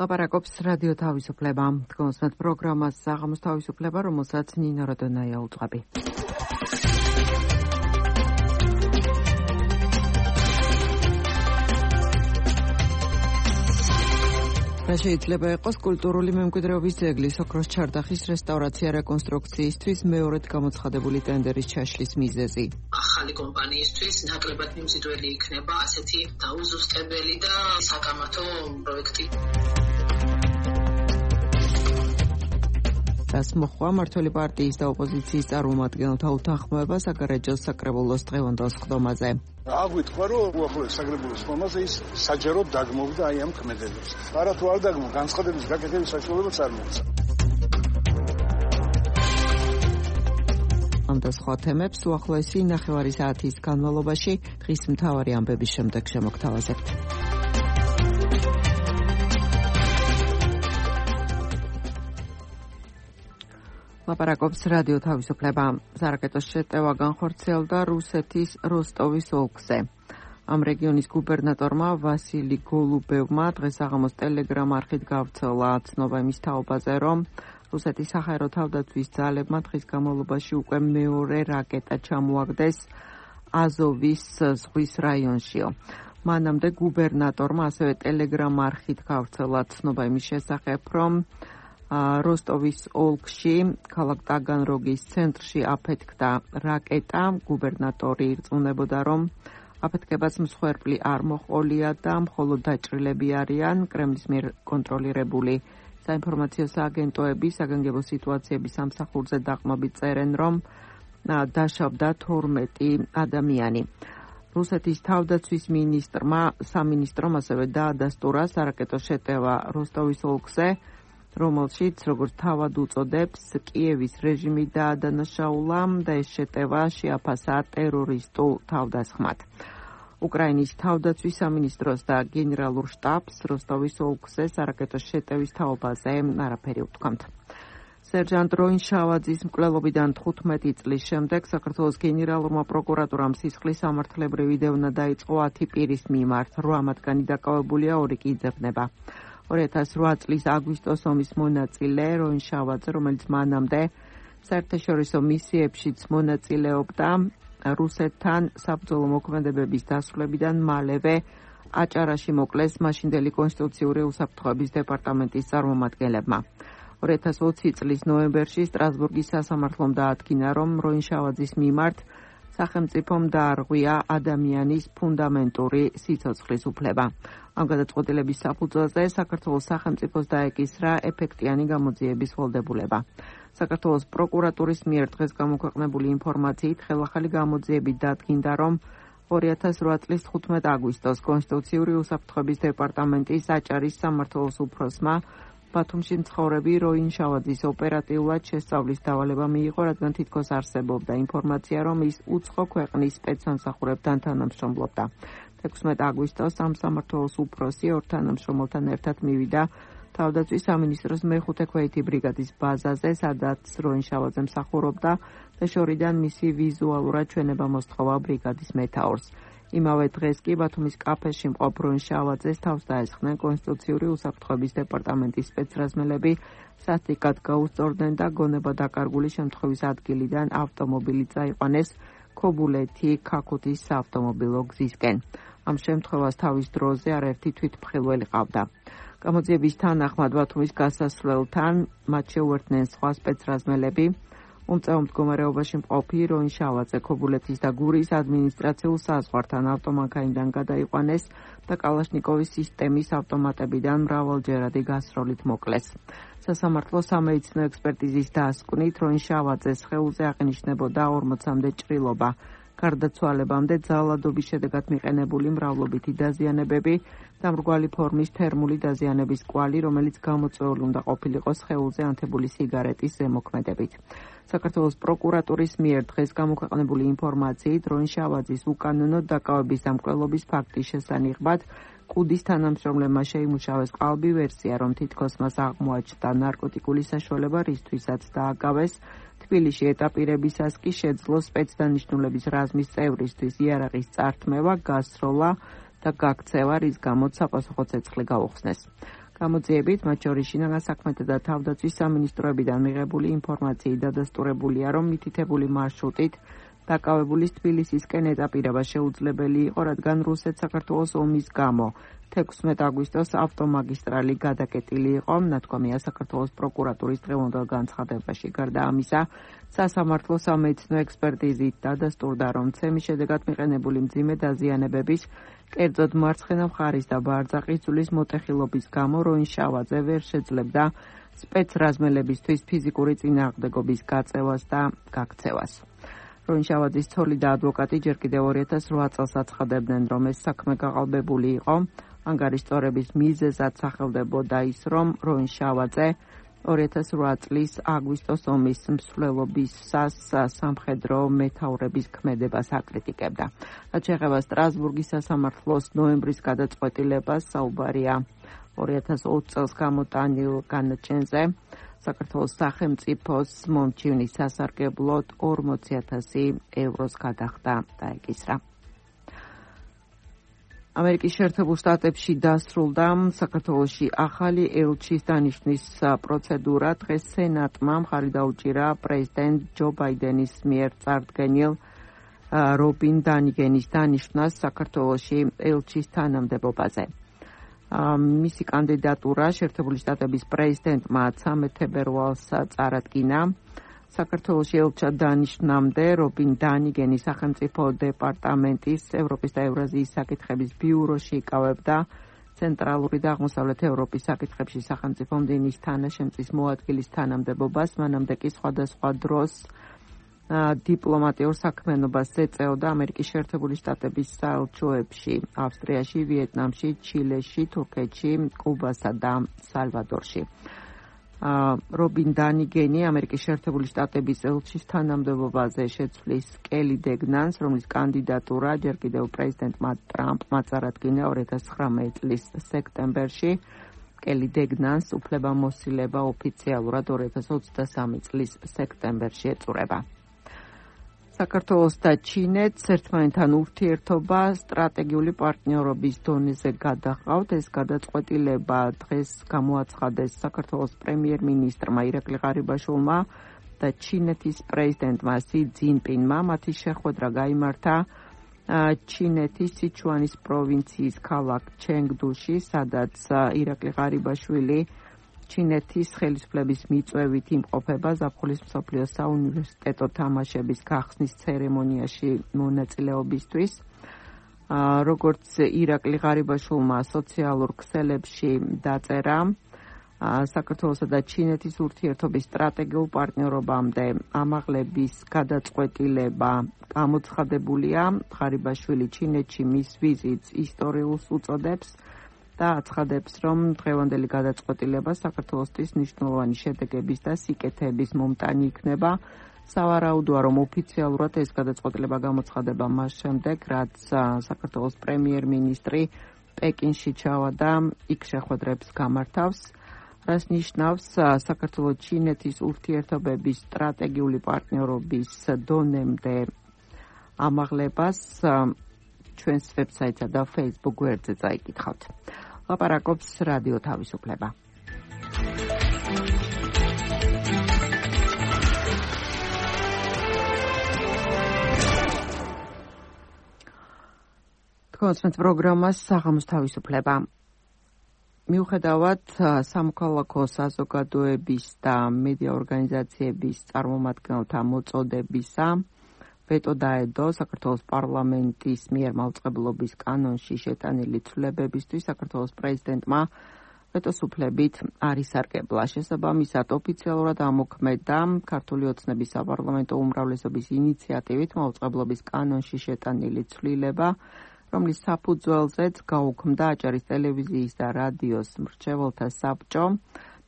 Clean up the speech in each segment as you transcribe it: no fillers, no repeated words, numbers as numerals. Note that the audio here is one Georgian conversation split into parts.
ლაპარაკობს რადიო თავისუფლება. დგომსმეთ პროგრამას საღამოს თავისუფლება, რომელსაც ნინო როდონაია უძღვები. რა შეიძლება იყოს კულტურული მემკვიდრეობის ძეგლის ოქროს ჩარდახის რესტავრაცია რეკონსტრუქციისთვის მეორედ გამოცხადებული ტენდერის ჩაშლის მიზეზი. ახალი კომპანიისთვის ნაკლებად მიმზიდველი იქნება ასეთი დაუზუსტებელი და საკამათო პროექტი. Das მოხვა მართველი პარტიის და ოპოზიციის წარმომადგენელთა უთანხმოება საგარეჯოს საკრებულოს დღევანდელ სხდომაზე. აღვიქვა, რომ უახლოეს საკრებულოს სხდომაზე ის საჯაროდ დაგმოვდა აი ამ ქმედებას. არა თუ არ დაგმო, განცხადების გაკეთების საშუალებაც არ მოაქვს. ამ და სხვა თემებს უახლოესი 9 საათის განმავლობაში დღის მთავარი ამბების შემდეგ შემოგთავაზებთ. ლაპარაკობს რადიო თავისუფლება. სარაკეტოს შეტევა განხორციელდა რუსეთის როსტოვის ოლქზე. ამ რეგიონის გუბერნატორმა ვასილი გოლუბევმა დღეს საღამოს ტელეგრამ არხით გავრცელა ცნობა იმის თაობაზე, რომ რუსეთის საჰაერო თავდაცვის ძალებმა დღის განმავლობაში უკვე მეორე რაკეტა ჩამოაგდეს აზოვის ზღვის რაიონშიო. მანამდე გუბერნატორმა ასევე ტელეგრამ არხით გავრცელა ცნობა იმის შესახებ, რომ როსტოვის ოლქში, ქალაქ ტაგანროგის ცენტრში აფეთქდა რაკეტა. გუბერნატორი ირწმუნებოდა, რომ აფეთქებას მსხვერპლი არ მოჰყოლია და მხოლოდ დაჭრილები არიან. კრემლის მიერ კონტროლირებული საინფორმაციო სააგენტოები საგანგებო სიტუაციების სამსახურზე დაყრდნობით წერენ, რომ დაშავდა 12 ადამიანი. რუსეთის თავდაცვის სამინისტრომ ასევე დაადასტურა სარაკეტო შეტევა როსტოვის ოლქზე, რომელშიც, როგორც თავად უწოდებს, კიევის რეჟიმი დაადანაშაულა და ეს შეტევა შეაფასა ტერორისტულ თავდასხმად. უკრაინის თავდაცვის სამინისტროს და გენერალურ შტაბს როსტოვის ოლქზე სარაკეტო შეტევის თაობაზე არაფერი უთქვამთ. სერჟანტ როინშავაძის მკვლელობიდან 15 წლის შემდეგ საქართველოს გენერალურმა პროკურატურამ სისხლის სამართლებრივი დევნა დაიწყო 10 პირის მიმართ. 8 მათგანი დაკავებულია, 2 კი იძებნება. 2008 წლის აგვისტოს ომის მონაწილე როინშავაძე, რომელიც მანამდე საერთაშორისო მისიებშიც მონაწილეობდა, რუსეთთან საბრძოლო მოქმედებების დასრულებიდან მალევე აჭარაში მოკლეს მაშინდელი კონსტიტუციური უსაფრთხოების დეპარტამენტის წარმომადგენლებმა. 2020 წლის ნოემბერში სტრასბურგის სასამართლომ დაადგინა, რომ როინშავაძის მიმართ სახელმწიფომ დაარღვია ადამიანის ფუნდამენტური სიცოცხლის უფლება. ამ გადაწყვეტილების საფუძველზე საქართველოს სახელმწიფოს დაეკისრა ეფექტიანი გამოძიების ვალდებულება. საქართველოს პროკურატურის მიერ დღეს გამოქვეყნებული ინფორმაციით ხელახალი გამოძიებით დადგინდა, რომ 2008 წლის 15 აგვისტოს კონსტიტუციური უსაფრთხოების დეპარტამენტის აჭარის სამმართველოს უფროსმა ბათუმში მცხოვრები როინშავაძის ოპერატიულად შესწავლის დავალება მიიღო, რადგან თითქოს არსებობდა ინფორმაცია, რომ ის უცხო ქვეყნის სპეცსამსახურებთან თანამშრომლობდა. 16 აგვისტოს ამ სამმართველოს უფროსი ორ თანამშრომელთან ერთად მივიდა თავდაცვის სამინისტროს მეხუთე ქვეითი ბრიგადის ბაზაზე, სადაც როინშავაძე მსახურობდა და შორიდან მისი ვიზუალურად ჩვენება მოსთხოვა ბრიგადის მეთაურს. იმავე დღეს კი ბათუმის კაფეში მყოფ როინშავაძეს თავს დაესხნენ კონსტიტუციური უსაფრთხოების დეპარტამენტის სპეცრაზმელები, სასტიკად გაუსწორდნენ და გონება დაკარგული შემთხვევის ადგილიდან ავტომობილი წაიყვანეს ქობულეთი ქაქუთის საავტომობილო გზისკენ. ამ შემთხვევას თავის დროზე არაერთი თვითმხილველი ყავდა. გამოძიების თანახმად ბათუმის გასასვლელთან მათ შეუერთდნენ სხვა სპეცრაზმელები. უმწეო მდგომარეობაში მყოფი როინშავაძე ქობულეთის და გურის ადმინისტრაციულ საზღვართან ავტომანქანიდან გადაიყვანეს და კალაშნიკოვის სისტემის ავტომატებიდან მრავალჯერადი გასროლით მოკლეს. სასამართლო სამედიცინო ექსპერტიზის დასკვნით როინშავაძეს სხეულზე აღინიშნებოდა 40-მდე ჭრილობა. გარდაცვალებამდე ძალადობის შედეგად მიყენებული მრავლობითი დაზიანებები და მრგვალი ფორმის თერმული დაზიანების კვალი, რომელიც გამოწვეული უნდა ყოფილიყო სხეულზე ანთებული სიგარეტის ზემოქმედებით. საქართველოს პროკურატურის მიერ დღეს გამოქვეყნებული ინფორმაციით როინშავაძის უკანონო დაკავების და მკვლელობის ფაქტის შესანიღბად კუდის თანამშრომლებმა შეიმუშავეს ყალბი ვერსია, რომ თითქოს მას აღმოაჩნდა ნარკოტიკული საშუალება, რისთვისაც დააკავეს. თბილისში ეტაპირებისას კი შეძლო სპეცდანიშნულების რაზმის წევრისთვის იარაღის წართმევა, გასროლა და გაქცევა, რის გამოც საპასუხო ცეცხლი გაუხსნეს. გამოძიებით, მათ შორის შინაგან საქმეთა და თავდაცვის სამინისტროებიდან მიღებული ინფორმაციით დადასტურებულია, რომ მითითებული მარშრუტით დაკავებულის თბილისისკენ ეტაპირება შეუძლებელი იყო, რადგან რუსეთ-საქართველოს ომის გამო 16 აგვისტოს ავტომაგისტრალი გადაკეტილი იყო, ნათქვამია საქართველოს პროკურატურის დღევანდელ განცხადებაში. გარდა ამისა, სასამართლო სამედიცინო ექსპერტიზით დადასტურდა, რომ ცემის შედეგად მიყენებული მძიმე დაზიანებების, კერძოდ მარცხენა მხარის და ბარძაყის ძვლის მოტეხილობის გამო როინშავაძე ვერ შეძლებდა სპეცრაზმელებისთვის ფიზიკური წინააღმდეგობის გაწევას და გაქცევას. როინშავაძის ცოლი და ადვოკატი ჯერ კიდევ 2008 წელს აცხადებდნენ, რომ ეს საქმე გაყალბებული იყო. ანგარის წორების მიზეზად სახელდებოდა ის, რომ როინშავაძე 2008 წლის აგვისტოს ომის მსვლელობისას სამხედრო მეთაურების ქმედებას აკრიტიკებდა. რაც შეეხება სტრასბურგის სასამართლოს ნოემბრის გადაწყვეტილებას, საუბარია 2020 წელს გამოტანილ განაჩენზე. საქართველოს სახელმწიფოს მომჩივნის სასარგებლოდ 40,000 ევროს გადახდა დაეკისრა. ამერიკის შეერთებულ შტატებში დასრულდა საქართველოში ახალი ელჩის დანიშნვის პროცედურა. დღეს სენატმა მხარი დაუჭირა პრეზიდენტ ჯო ბაიდენის მიერ წარდგენილ რობინ დანიგენის დანიშნვას საქართველოში ელჩის თანამდებობაზე. მისი კანდიდატურა შეერთებული შტატების პრეზიდენტმა 13 თებერვალს წარადგინა. საქართველოში ელჩად დანიშნამდე რობინ დანიგენი სახელმწიფო დეპარტამენტის ევროპის და ევრაზიის საკითხების ბიუროში იკავებდა ცენტრალური და აღმოსავლეთ ევროპის საკითხებში სახელმწიფო მდივნის თანაშემწის მოადგილის თანამდებობას, მანამდე კი სხვადასხვა დროს დიპლომატიურ საქმიანობას ეწეოდა ამერიკის შეერთებული შტატების საელჩოებში, ავსტრიაში, ვიეტნამში, ჩილეში, თურქეთში, კუბასა და სალვადორში. რობინ დანიგენი ამერიკის შეერთებული შტატების ელჩის თანამდებობაზე შეცვლის კელი დეგნანს, რომლის კანდიდატურა ჯერ კიდევ პრეზიდენტმა ტრამპმა წარადგინა 2019 წლის სექტემბერში. კელი დეგნანს უფლებამოსილება ოფიციალურად 2023 წლის სექტემბერში ეწურება. საქართველოს და ჩინეთს ერთმანეთთან ურთიერთობა სტრატეგიული პარტნიორობის დონეზე გადაჰყავთ. ეს გადაწყვეტილება დღეს გამოაცხადეს საქართველოს პრემიერ-მინისტრმა ირაკლი ღარიბაშვილმა და ჩინეთის პრეზიდენტმა სი ძინპინმა. მათი შეხვედრა გაიმართა ჩინეთის სიჩუანის პროვინციის ქალაქ ჩენგდუში, სადაც ირაკლი ღარიბაშვილი ჩინეთის ხელისუფლების მიწვევით იმყოფება ზაფხულის მსოფლიო საუნივერსიტეტო თამაშების გახსნის ცერემონიაში მონაწილეობისთვის. როგორც ირაკლი ღარიბაშვილმა სოციალურ ქსელებში დაწერა, საქართველოსა და ჩინეთის ურთიერთობის სტრატეგიულ პარტნიორობამდე ამაღლების გადაწყვეტილება გამოცხადებულია. ღარიბაშვილი ჩინეთში მის ვიზიტს ისტორიულს უწოდებს და აცხადებს, რომ დღევანდელი გადაწყვეტილება საქართველოსთვის მნიშვნელოვანი შედეგების და სიკეთეების მომტანი იქნება. სავარაუდოა, რომ ოფიციალურად ეს გადაწყვეტილება გამოცხადება მას შემდეგ, რაც საქართველოს პრემიერ-მინისტრი პეკინში ჩავარდა, იქ შეხვედრებს გამართავს, რაც ნიშნავს საქართველოს-ჩინეთის ურთიერთობების სტრატეგიული პარტნიორობის დონემდე ამაღლებას. ჩვენს ვებსაიტსა და Facebook გვერდზე წაიკითხავთ. ლაპარაკობს რადიო თავისუფლება. თქვენს პროგრამას საღამოს თავისუფლება. მიუხედავად სამოქალაქო საზოგადოების და მედია ორგანიზაციების წარმომადგენელთა მოწოდებისა, ვეტო დაედო საქართველოს პარლამენტის მიერ მაუწყებლობის კანონში შეტანილი ცვლილებებისთვის საქართველოს პრეზიდენტმა ვეტოს უფლებით არ ისარგებლა. შესაბამისად, ოფიციალურად ამოქმედა ქართული ოცნების საპარლამენტო უმრავლესობის ინიციატივით მაუწყებლობის კანონში შეტანილი ცვლილება, რომლის საფუძველზეც გაუქმდა აჭარის ტელევიზიის და რადიოს მრჩეველთა საბჭო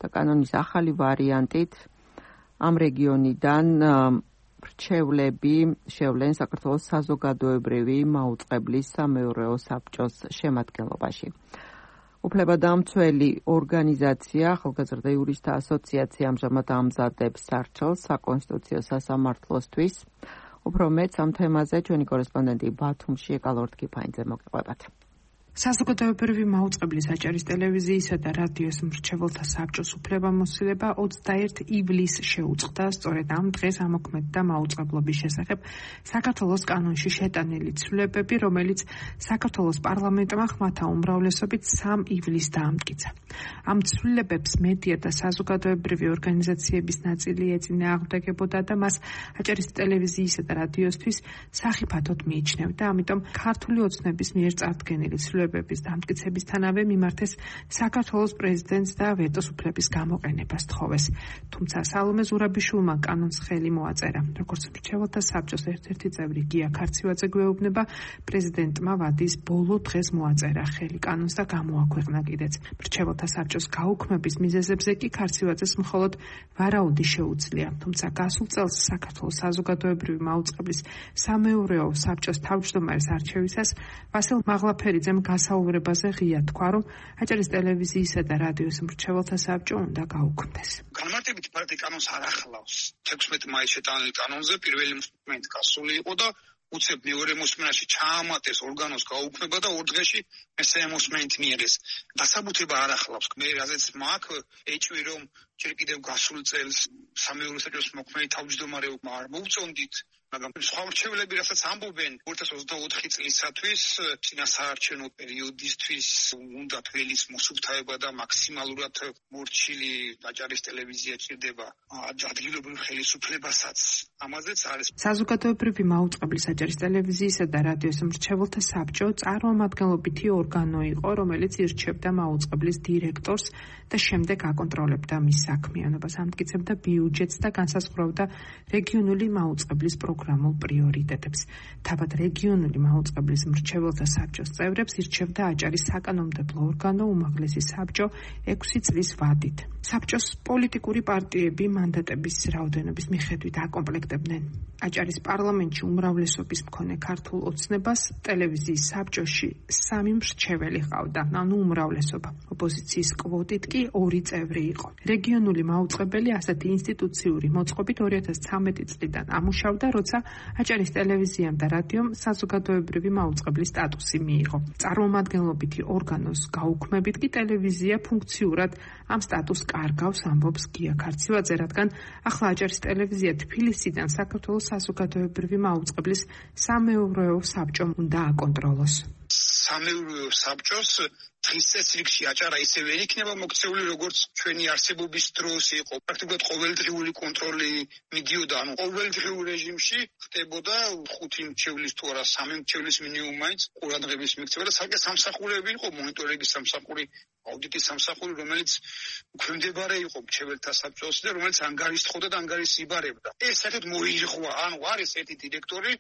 და კანონის ახალი ვარიანტით ამ რეგიონიდან მრჩევლები შევლენ საქართველოს საზოგადოებრივი მაუწყებლის სამეურვეო საბჭოს შემადგენლობაში. უფლებადამცველი ორგანიზაცია ახალგაზრდა იურისტთა ასოციაცია ამჟამად ამზადებს სარჩელს საკონსტიტუციო სასამართლოსთვის. უფრო მეტს ამ თემაზე ჩვენი კორესპონდენტი ბათუმში ეკალორდ კიფაინძე მოგიყვებათ. საზოგადოებრივი მაუწყებლის აჭარის ტელევიზიისა და რადიოს მრჩეველთა საბჭოს უფლებამოსილება 21 ივლისს შეუწყდა სწორედ ამ დღეს ამოქმედდა მაუწყებლობის შესახებ საქართველოს კანონში შეტანილი ცვლილებები, რომელიც საქართველოს პარლამენტმა ხმათა უმრავლესობით 3 ივლისს დაამტკიცა. ამ ცვლილებებს მედია და საზოგადოებრივი ორგანიზაციების ნაწილი ეწინააღმდეგებოდა და მას აჭარის ტელევიზიისა და რადიოსთვის სახიფათოდ მიიჩნევდა, ამიტომ ქართული ოცნების მიერ წარდგენილი ცვლილებების დამტკიცებისთანავე მიმართეს საქართველოს პრეზიდენტს და ვეტოს უფლების გამოყენებას თხოვეს. თუმცა სალომე ზურაბიშვილმა კანონს ხელი მოაწერა. როგორც მრჩეველთა საბჭოს ერთ-ერთი წევრი გია ქარცივაძე გვეუბნება, პრეზიდენტმა ვადის ბოლო დღეს მოაწერა ხელი კანონს და გამოაქვეყნა კიდეც. მრჩეველთა საბჭოს გაუქმების მიზეზებზე კი ქარცივაძეს მხოლოდ ვარაუდი შეუძლია. თუმცა გასულ წელს საქართველოს საზოგადოებრივი მაუწყებლის სამეურვეო საბჭოს თავმჯდომარის არჩევისას ვასილ მაღლაფერიძემ გასაუბრებაზე ღია თქვა, რომ აჭარის ტელევიზიისა და რადიოს მრჩეველთა საბჭო უნდა გაუქმდეს. განმარტებით პარტია კანონს არ ახლავს. 16 მაისს შეტანილი კანონზე პირველი მოსმენით გასული იყო და უცებ მეორე მოსმენაში ჩაამატეს ორგანოს გაუქმება და 2 დღეში მესამე მოსმენით მიიღეს. დასაბუთება არ ახლავს. მე რაზეც მაქვს ეჭვი, რომ ჯერ კიდევ გასულ წელს სამეურვეო საბჭოს მოქმედი თავმჯდომარეობა არ მოვწონდით, მაგრამ სხვა მრჩეველები რასაც ამბობენ 2024 წლისათვის წინასაარჩევნო პერიოდისთვის უნდა თველის მოსუფთავება და მაქსიმალურად მორჩილი აჭარის ტელევიზია ჭირდება ადგილობრივ ხელისუფლებასაც. ამაზეც არის საზოგადოებრივი მაუწყებლის აჭარის ტელევიზიისა და რადიოს მრჩეველთა საბჭო წარმომადგენლობითი ორგანო იყო, რომელიც ირჩევდა მაუწყებლის დირექტორს და შემდეგ აკონტროლებდა მის საქმიანობას, ამტკიცებდა ბიუჯეტს და განსაზღვრავდა რეგიონული მაუწყებლის პროგრამულ პრიორიტეტებს. თავად რეგიონული მაუწყებლის მრჩეველთა საბჭოს წევრებს ირჩევდა აჭარის საკანონმდებლო ორგანო უმაღლესი საბჭო 6 წლის ვადით. საბჭოს პოლიტიკური პარტიები მანდატების რაოდენობის მიხედვით აკომპლექტებდნენ აჭარის პარლამენტში უმრავლესობის მქონე ქართულ ოცნებას. ტელევიზიის საბჭოში 3 მრჩეველი ჰყავდა, ანუ უმრავლესობა. ოპოზიციის კვოტით კი 2 წევრი იყო. რეგიონული მაუწყებელი ასეთი ინსტიტუციური მოწყობით 2013 წლიდან ამუშავდა, როცა აჭარის ტელევიზიამ და რადიომ საზოგადოებრივი მაუწყებლის სტატუსი მიიღო. წარმომადგენლობითი ორგანოს გაუქმებით კი ტელევიზია ფუნქციურად ამ სტატუსს კარგავს, ამბობს გია ქარცივაძე, რადგან ახლა აჭარის ტელევიზია თბილისიდან საქართველოს საზოგადოებრივი მაუწყებლის სამეურვეო საბჭომ უნდა აკონტროლოს. სამეურვეო საბჭოს დღის წესრიგში აჭარა ისევე იქნება მოქცეული, როგორც ჩვენი არსებობის დროს იყო. პრაქტიკულად ყოველდღიური კონტროლი მიდიოდა, ანუ ყოველდღიურ რეჟიმში ხდებოდა 5 მრჩევლის თუ არა 3 მრჩევლის მინიმუმ მაინც ყურადღების მიქცევა და საკუთარ სამსახურები იყო, მონიტორინგის სამსახური, აუდიტის სამსახური, რომელიც უქვემდებარე იყო მრჩეველთა საბჭოს და რომელიც ანგარიშთხოვდა და ანგარიშს იბარებდა. ეს საერთოდ მოირღვა, ანუ არის ერთი დირექტორი,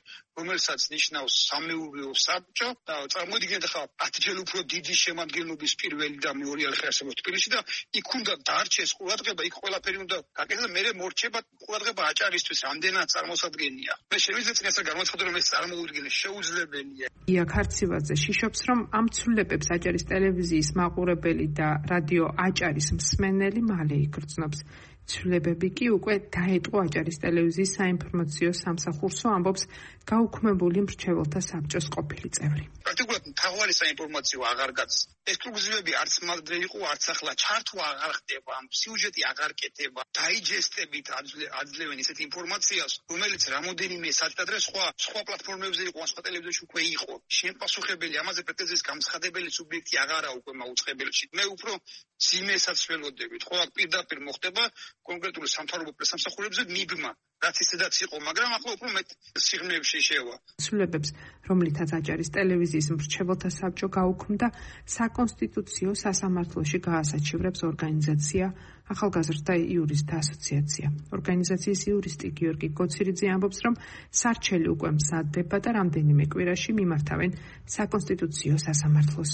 რომელსაც ნიშნავს სამეურვეო საბჭო და წარმოიდგინეთ ახლა 10-ჯერ უფრო დიდი შემადგენლობის პირველი და მეორე არხი თბილისში და იქ უნდა დაარჩეს ყურადღება, იქ ყველაფერი უნდა გაკეთდეს და მერე მორჩება ყურადღება აჭარისთვის, რამდენად წარმოსადგენია. მე შემიძლია წინასწარ გამოცხადო, რომ ეს წარმოუდგენელი შეუძლებელია. გია ქარცივაძე შიშობს, რომ ამ ცვლილებებს აჭარის ტელევიზიის მაყურებელი და რადიო აჭარის მსმენელი მალე იგრძნობს. ცვლილებები კი უკვე დაეტყო აჭარის ტელევიზიის საინფორმაციო სამსახურსო, ამბობს გაუქმებული მრჩეველთა საბჭოს ყოფილი წევრი. პრაქტიკულად მთავარი საინფორმაციო აღარ გაქვს. ექსკლუზივები არც მადრე იყო, არც ახლა ჩართვა აღარ ხდება, სიუჟეტი აღარ კეთება. დაიჯესტებით აძლევენ ისეთ ინფორმაციას, რომელიც რამოდენიმე საათადრე სხვა პლატფორმებზე იყო, სხვა ტელევიზიაში უკვე იყო. შემპასუხებელი ამაზე პრეტენზიის გამცხადებელი სუბიექტი აღარა უკვე მაუწყებელში. მე უფრო ძიმესაც ველოდებით. ხო, აქ პირდაპირ მოხდება კონკრეტული სამთავრობო პრესამსახურებზე მიბმა, რაც ისედაც იყო, მაგრამ ახლა უფრო მეტ სიღრმეებში შევა. ცვლილებებს, რომლითაც აჭარის ტელევიზიის მრჩეველთა საბჭო გაუქმდა, საკონსტიტუციო სასამართლოში გაასაჩივრებს ორგანიზაცია ახალგაზრდა იურისტთა ასოციაცია. ორგანიზაციის იურისტი გიორგი გოცირიძე ამბობს, რომ სარჩელი უკვე მზადდება და რამდენიმე კვირაში მიმართავენ საკონსტიტუციო სასამართლოს.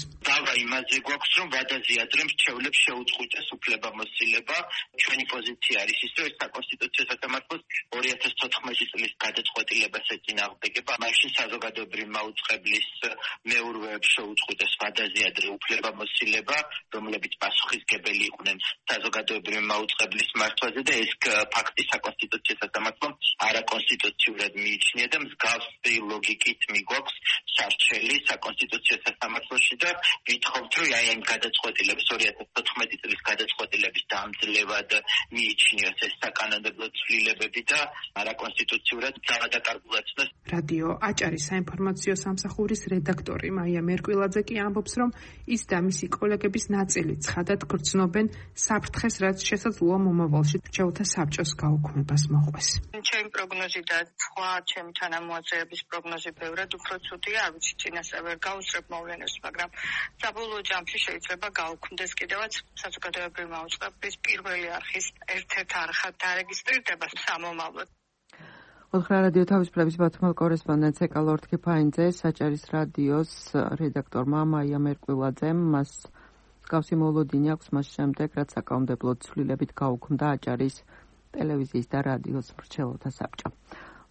იმაზე გვაქვს, რომ ვადაზიადრე მრჩევლებს შეუწყვიტეს უფლებამოსილება. ჩვენი პოზიცია არის ის, რომ ეს საკონსტიტუციო სასამართლოს 2014 წლის გადაწყვეტილებას ეწინააღმდეგება. მაშინ საზოგადოებრივი მაუწყებლის მეურვეებს შეუწყვიტეს ვადაზიადრე უფლებამოსილება, რომლებიც პასუხისგებელი იყვნენ საზოგადოებრივი მაუწყებლის მართვაზე და ეს ფაქტი საკონსტიტუციო სასამართლომ არაკონსტიტუციურად მიიჩნია და მსგავსი ლოგიკით მიგვაქვს სარჩელი საკონსტიტუციო სასამართლოში და ვითხოვთ, რომ აი ამ გადაწყვეტილების 2014 წლის გადაწყვეტილების დამძლევად მიიჩნიოს ეს საკანონმდებლო ცვლილებები და არაკონსტიტუციურად ძალადაკარგულացნოს. რადიო აჭარის საინფორმაციო სამსახურის რედაქტორი მაია მერკვილაძე კი ამბობს, რომ ის და მისი კოლეგების ნაწილი ცხადად გრძნობენ საფრთხეს, რაც შესაძლოა მომავალში მრჩეველთა საბჭოს გაუქმებას მოყვეს. ჩემი პროგნოზი და სხვა ჩემი თანამოაზრეების პროგნოზი ბევრად უფრო ცუდია, არ ვიცი წინასწარ ვერ გავუსწრებ მოვლენებს, მაგრამ საბოლოო ჯამში შეიძლება გაუქმდეს კიდევაც საზოგადოებრივი მაუწყებლის პირველი არხის ერთ-ერთ არხად დარეგისტრირდება სამომავლოდ. უთხრა რადიო თავისუფლების ბათუმელ კორესპონდენტს ეკალორთ ქიფაინძე საჭარის რადიოს რედაქტორმა მაია მერკვილაძემ მას მსგავსი მოლოდინი აქვს მას შემდეგ, რაც საკანონმდებლო ცვლილებით გაუქმდა აჭარის ტელევიზიის და რადიოს მრჩეველთა საბჭო.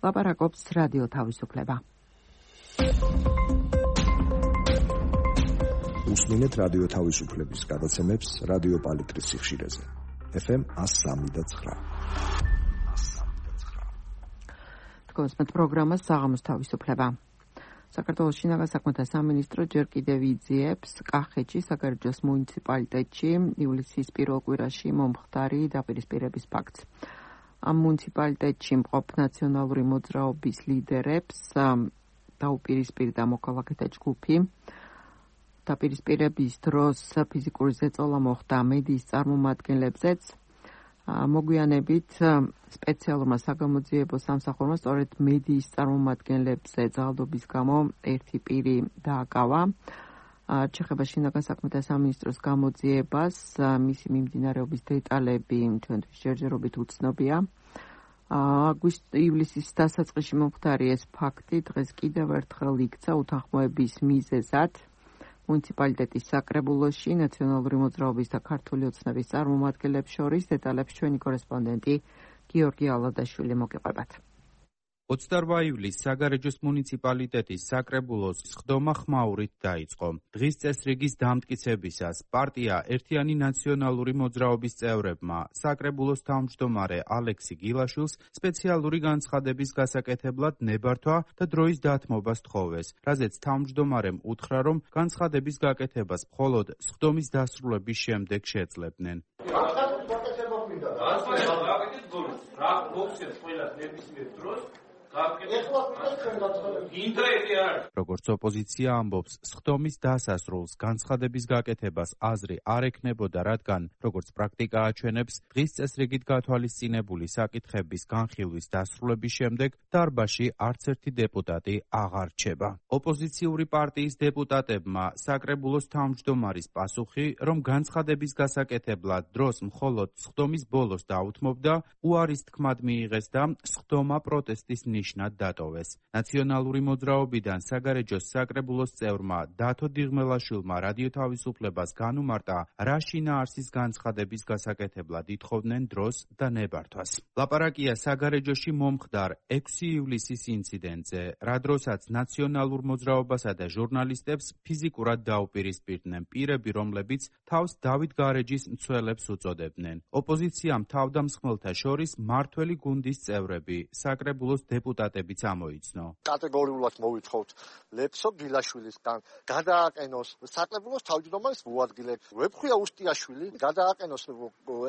ლაპარაკობს რადიო თავისუფლება. უსმინეთ რადიო თავისუფლების გადაცემებს რადიო პალიტრის სიხშირეზე. FM 103.9. თქვენს პროგრამას საღამოს თავისუფლება. საქართველოს შინაგან საქმეთა სამინისტრო ჯერ კიდევ იძიებს კახეთში საგარეჯოს მუნიციპალიტეტში ივლისის პირველ კვირაში მომხდარი დაპირისპირების ფაქტს. ამ მუნიციპალიტეტში მყოფ ნაციონალური მოძრაობის ლიდერებს დაუპირისპირდა მოქალაქეთა ჯგუფი. დაპირისპირების დროს ფიზიკური ზეწოლა მოხდა მედიის წარმომადგენლებზეც. მოგვიანებით სპეციალურმა საგამოძიებო სამსახურმა სწორედ მედიის წარმომადგენლებზე ძალადობის გამო ერთი პირი დააკავა. ჩეხება შინაგან საქმეთა სამინისტროს გამოძიებას, მისი მიმდინარეობის დეტალები ჩვენთვის ჯერჯერობით უცნობია. ივლისის დასაწყისში მომხდარი ეს ფაქტი დღეს კიდევ ერთხელ იქცა უთანხმოების მიზეზად. მუნიციპალიტეტის საკრებულოში ნაციონალური მოძრაობის და ქართული ოცნების წარმომადგენლებს შორის დეტალებს ჩვენი კორესპონდენტი გიორგი ალადაშვილი მოგიყვებათ. 28 ივლისს საგარეჯოს მუნიციპალიტეტის საკრებულოს სხდომა ხმაურით დაიწყო. დღის წესრიგის დამტკიცებისას პარტია ერთიანი ნაციონალური მოძრაობის წევრებმა საკრებულოს თავმჯდომარე ალექსი გილაშვილს სპეციალური განცხადების გასაკეთებლად ნებართვა და დროის დათმობა სთხოვეს, რაზეც თავმჯდომარემ უთხრა, რომ განცხადების გაკეთებას მხოლოდ სხდომის დასრულების შემდეგ შეძლებდნენ. როგორც ოპოზიცია ამბობს, სხდომის დასასრულს განცხადების გაკეთებას აზრი არ ექნებოდა, რადგან, როგორც პრაქტიკა აჩვენებს, დღის წესრიგით გათვალისწინებული საკითხების განხილვის დასრულების შემდეგ დარბაზში არც ერთი დეპუტატი აღარ რჩება. ოპოზიციური პარტიის დეპუტატებმა საკრებულოს თავმჯდომარის პასუხი, რომ განცხადების გასაკეთებლად დროს მხოლოდ სხდომის ბოლოს დაუთმობდა, უარის თქმად მიიღეს და სხდომა პროტესტის ნიშნად დატოვეს. ნაციონალური მოძრაობიდან საგარეჯოს საკრებულოს წევრმა დათო დიღმელაშვილმა რადიო თავისუფლებას განუმარტა, რა შინაარსის განცხადების გასაკეთებლად ითხოვდნენ დროს და ნებართვას. ლაპარაკია საგარეჯოში მომხდარ 6 ივლისის ინციდენტზე, რა დროსაც ნაციონალურ მოძრაობასა და ჟურნალისტებს ფიზიკურად დაუპირისპირდნენ პირები, რომლებიც თავს დავით გარეჯის მცველებს უწოდებდნენ. ოპოზიციამ თავდამსხმელთა შორის მართველი გუნდის წევრები, საკრებულოს დეპუტატებიც ამოიცნო. კატეგორიულად მოვითხოვთ ლექსო გილაშვილისგან გადააყენოს საკრებულოს თავმჯდომარის მოადგილე ვეფხვია უსტიაშვილი, გადააყენოს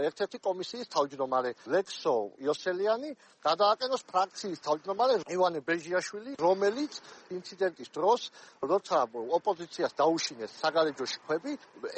ერთ-ერთი კომისიის თავმჯდომარე ლექსო იოსელიანი, გადააყენოს ფრაქციის თავმჯდომარე ივანე ბეჟიაშვილი, რომელიც ინციდენტის დროს, როცა ოპოზიციას დაუშინეს საგარეჯოში ქვები,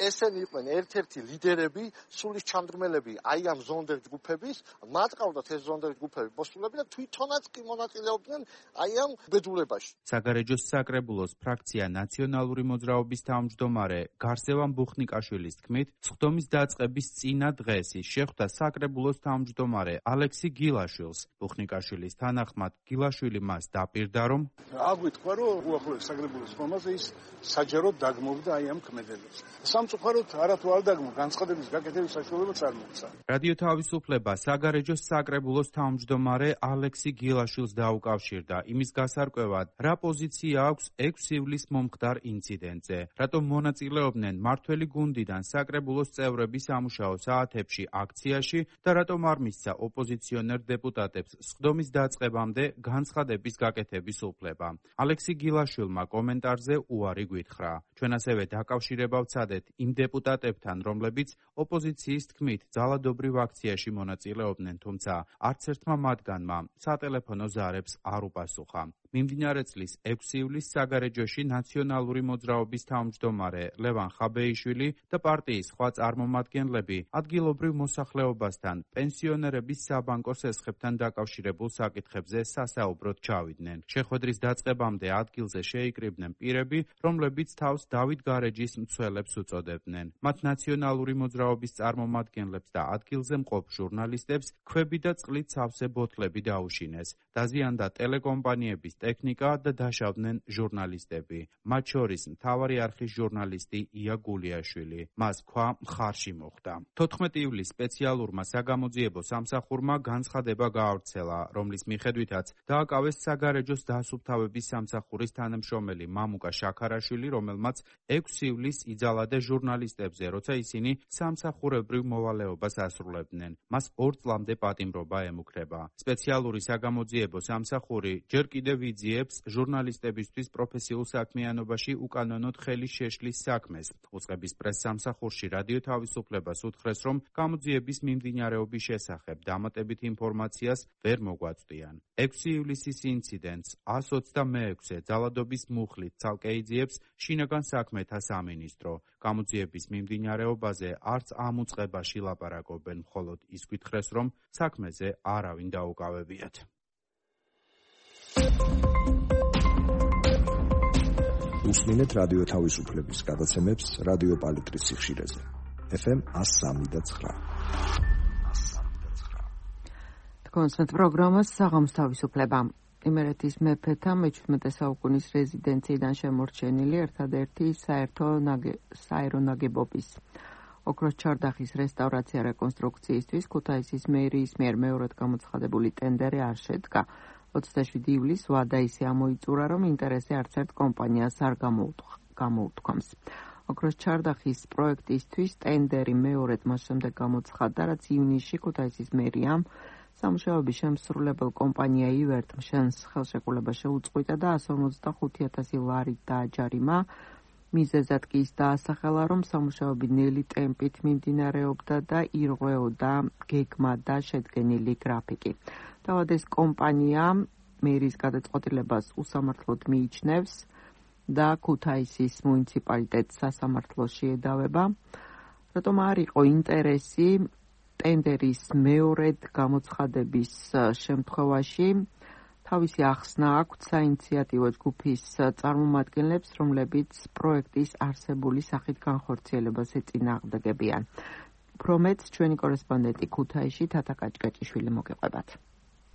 ესენი იყვნენ ერთ-ერთი ლიდერები, სულის ჩამდგმელები აი ამ ზონდერ ჯგუფების, მათ ყავდათ ეს ზონდერ ჯგუფების მოსულები და თვითონაც კი მონაწილე მონაწილეობდნენ აი ამ ბედულებაში. საგარეჯოს საკრებულოს ფრაქცია ნაციონალური მოძრაობის თავმჯდომარე გარსევან ბუხნიკაშვილის თქმით, სხდომის დაწყების წინა დღეს ის შეხვდა საკრებულოს თავმჯდომარე ალექსი გილაშვილს. ბუხნიკაშვილის თანახმად, გილაშვილი მას დაპირდა, რომ აგვიტყვა, რომ უახლოეს საკრებულოს ხომაზე ის საჯაროდ დაგმოვდა აი ამ ქმედელებს. სამწუხაროდ არათუ არ დაგმო, განცხადების გაკეთების საშუალებაც არ მოხდა. რადიო თავისუფლება საგარეჯოს საკრებულოს თავმჯდომარე ალექსი გილაშვილს დაუკავშირდა იმის გასარკვევად, რა პოზიცია აქვს 6 ივლისს მომხდარ ინციდენტზე, რატომ მონაწილეობდნენ მმართველი გუნდიდან საკრებულოს წევრები სამუშაო საათებში აქციაში და რატომ არ მისცა ოპოზიციონერ დეპუტატებს სხდომის დაწყებამდე განცხადების გაკეთების უფლება. ალექსი გილაშვილმა კომენტარზე უარი გვითხრა. ჩვენ ასევე დაკავშირება ვცადეთ იმ დეპუტატებთან, რომლებიც ოპოზიციის თქმით ძალადობრივ აქციაში მონაწილეობდნენ, თუმცა არც ერთმა მათგანმა სატელეფონო ზარებს არ უპასუხა. მიმდინარე წლის 6 ივლისს საგარეჯოში ნაციონალური მოძრაობის თავმჯდომარე ლევან ხაბეიშვილი და პარტიის სხვა წარმომადგენლები ადგილობრივ მოსახლეობასთან პენსიონერების საბანკო სესხებთან დაკავშირებულ საკითხებზე სასაუბროდ ჩავიდნენ. შეხვედრის დაწყებამდე ადგილზე შეიკრიბნენ პირები, რომლებიც თავს დავით გარეჯის მცველებს უწოდებდნენ. მათ ნაციონალური მოძრაობის წარმომადგენლებს და ადგილზე მყოფ ჟურნალისტებს ქვები და წყლით სავსე ბოთლები დაუშინეს. დაზიანდა ტელეკომპანიების ტექნიკა და დაშავდნენ ჟურნალისტები. მათ შორის მთავარი არხის ჟურნალისტი ია გულიაშვილი. მას ქვა მხარში მოხვდა. 14 ივლისს სპეციალურმა საგამოძიებო სამსახურმა განცხადება გაავრცელა, რომლის მიხედვითაც დააკავეს საგარეჯოს დასუფთავების სამსახურის თანამშრომელი მამუკა შაქარაშვილი, რომელმაც 6 ივლისს იძალა ჟურნალისტებზე, როცა ისინი სამსახურებრივ მოვალეობას ასრულებდნენ. მას 2 წლამდე პატიმრობა ემუქრება. სპეციალური საგამოძიებო სამსახური ჯერ კიდევ იძიებს ჟურნალისტებისთვის პროფესიულ საქმიანობაში უკანონოდ ხელის შეშლის საქმეს. უწყების პრესსამსახურში რადიო თავისუფლებას უთხრეს, რომ გამოძიების მიმდინარეობის შესახებ დამატებით ინფორმაციას ვერ მოგვაწვდიან. 6 ივლისის ინციდენტს 126-ე ძალადობის მუხლით ცალკე იძიებს შინაგან საქმეთა სამინისტრო. გამოძიების მიმდინარეობაზე არც ამ უწყებაში ლაპარაკობენ, მხოლოდ ის გითხრეს, რომ საქმეზე არავინ დაუკავებიათ. უსმინეთ რადიო თავისუფლების გადაცემებს რადიო პალიტრის სიხშირეზე. FM 103.9. კონსერტ პროგრამას საღამოს თავისუფლება. იმერეთის მეფეთა მე-17 საუკუნის რეზიდენციიდან შემორჩენილი ერთადერთი საერო ნაგებობის ოქროს ჩარდახის რესტავრაცია რეკონსტრუქციისთვის ქუთაისის მერიის მიერ მეორედ გამოცხადებული ტენდერი არ შედგა. 27 ივლისს ვადა ისე ამოიწურა, რომ ინტერესი არც ერთ კომპანიას არ გამოუთქვამს. ოქროს ჩარდახის პროექტისთვის ტენდერი მეორედ მას შემდეგ გამოცხადდა, რაც ივნისში ქუთაისის მერიამ სამუშაოების შემსრულებელ კომპანია ივერტ მშენს ხელშეკრულება შეუწყვიტა და 155,000 ლარით დააჯარიმა. მიზეზად კი ის დაასახელა, რომ სამუშაოები ნელი ტემპით მიმდინარეობდა და ირღვეოდა გეგმა და შედგენილი გრაფიკი. თავად ეს კომპანია მერის გადაწყვეტილებას უსამართლოდ მიიჩნევს და ქუთაისის მუნიციპალიტეტს სასამართლოში ედავება. რატომ არ იყო ინტერესი ტენდერის მეორედ გამოცხადების შემთხვევაში თავისი ახსნა აქვთ საინიციატივო ჯგუფის წარმომადგენლებს, რომლებიც პროექტის არსებული სახით განხორციელებას ეწინააღმდეგებიან. უფრო მეტს ჩვენი კორესპონდენტი ქუთაისში თათა კაჭკაჭიშვილი მოგეყვებათ.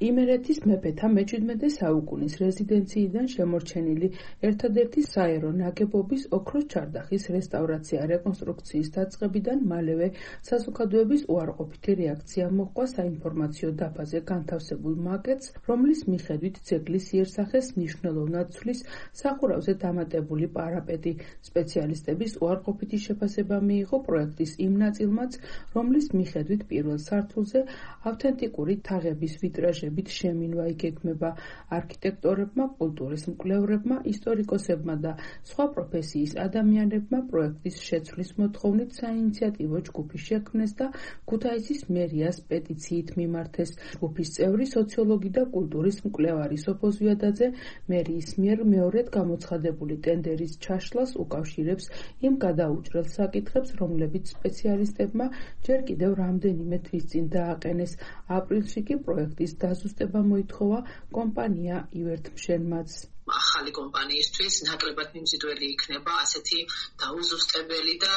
იმერეთის მეფეთა მე-17 საუკუნის რეზიდენციიდან შემორჩენილი ერთადერთი საერო ნაგებობის ოქროს ჩარდახის რესტავრაცია რეკონსტრუქციის დაწყებიდან მალევე საზოგადოების უარყოფითი რეაქცია მოჰყვა საინფორმაციო დაფაზე განთავსებულ მაკეტს, რომლის მიხედვით ძეგლის იერსახეს მნიშვნელოვნად ცვლის სახურავზე დამატებული პარაპეტი. სპეციალისტების უარყოფითი შეფასება მიიღო პროექტის იმ ნაწილმაც, რომლის მიხედვით პირველ სართულზე ავთენტიკური თაღების ვიტრაჟი შემინვა იგეგმება. არქიტექტორებმა, კულტურის მკვლევრებმა, ისტორიკოსებმა და სხვა პროფესიის ადამიანებმა პროექტის შეცვლის მოთხოვნით საინიციატივო ჯგუფი შექმნეს და ქუთაისის მერიას პეტიციით მიმართეს. ჯგუფის წევრი სოციოლოგი და კულტურის მკვლევარი სოფო ზვიადაძე მერიის მიერ მეორედ გამოცხადებული ტენდერის ჩაშლას უკავშირებს იმ გადაუჭრელ საკითხებს, რომლებიც სპეციალისტებმა ჯერ კიდევ რამდენიმე თვის წინ დააყენეს. აპრილში კი პროექტის დაზუსტება მოითხოვა კომპანია ივერთმშენმაც. ახალი კომპანიისთვის ნაკლებად მიმზიდველი იქნება ასეთი დაუზუსტებელი და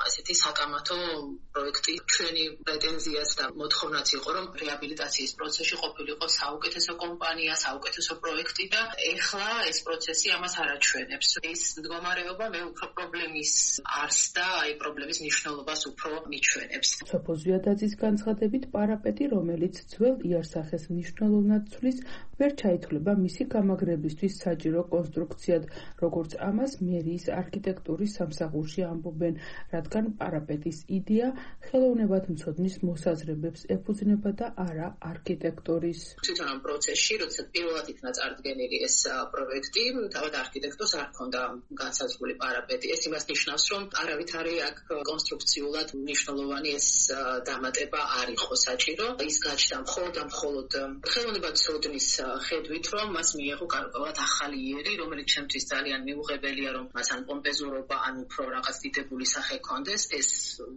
ასეთი საკამათო პროექტი. ჩვენი პრეტენზიაც და მოთხოვნაც იყო, რომ რეაბილიტაციის პროცესში ყოფილიყო საუკეთესო კომპანია, საუკეთესო პროექტი და ეხლა ეს პროცესი ამას არ აჩვენებს. ეს მდგომარეობა მე უფრო პრობლემის არსს და პრობლემის მნიშვნელობას უფრო მიჩვენებს. სოფო ზვიადაძის განცხადებით, პარაპეტი, რომელიც ძველ იარსახეს მნიშვნელოვნად ცვლის, ვერ ჩაითვლება მისი გამაგრებისთვის საჭირო კონსტრუქციად, როგორც ამას მერიის არქიტექტურის სამსახურში ამბობენ, რადგან პარაპეტის იდეა ხელოვნებათმცოდნის მოსაზრებებს ეფუძნება და არა არქიტექტურის. თვითონ ამ პროცესში, როდესაც პირველად იქნა წარდგენილი ეს პროექტი, თავად არქიტექტორს არ ჰქონდა განსაზღვრული პარაპეტი. ეს იმას ნიშნავს, რომ არავითარი აქ კონსტრუქციულად მნიშვნელოვანი ეს დამატება არ იყო საჭირო. ის გაჩნდა მხოლოდ ხელოვნებათმცოდნის ხედვით, რომ მას მიიღო გარკვეულად ახალი იერი, რომელიც ჩემთვის ძალიან მიუღებელია, რომ მას ან პომპეზურობა, ან უფრო რაღაც დიდებული სახე ჰქონდეს, ეს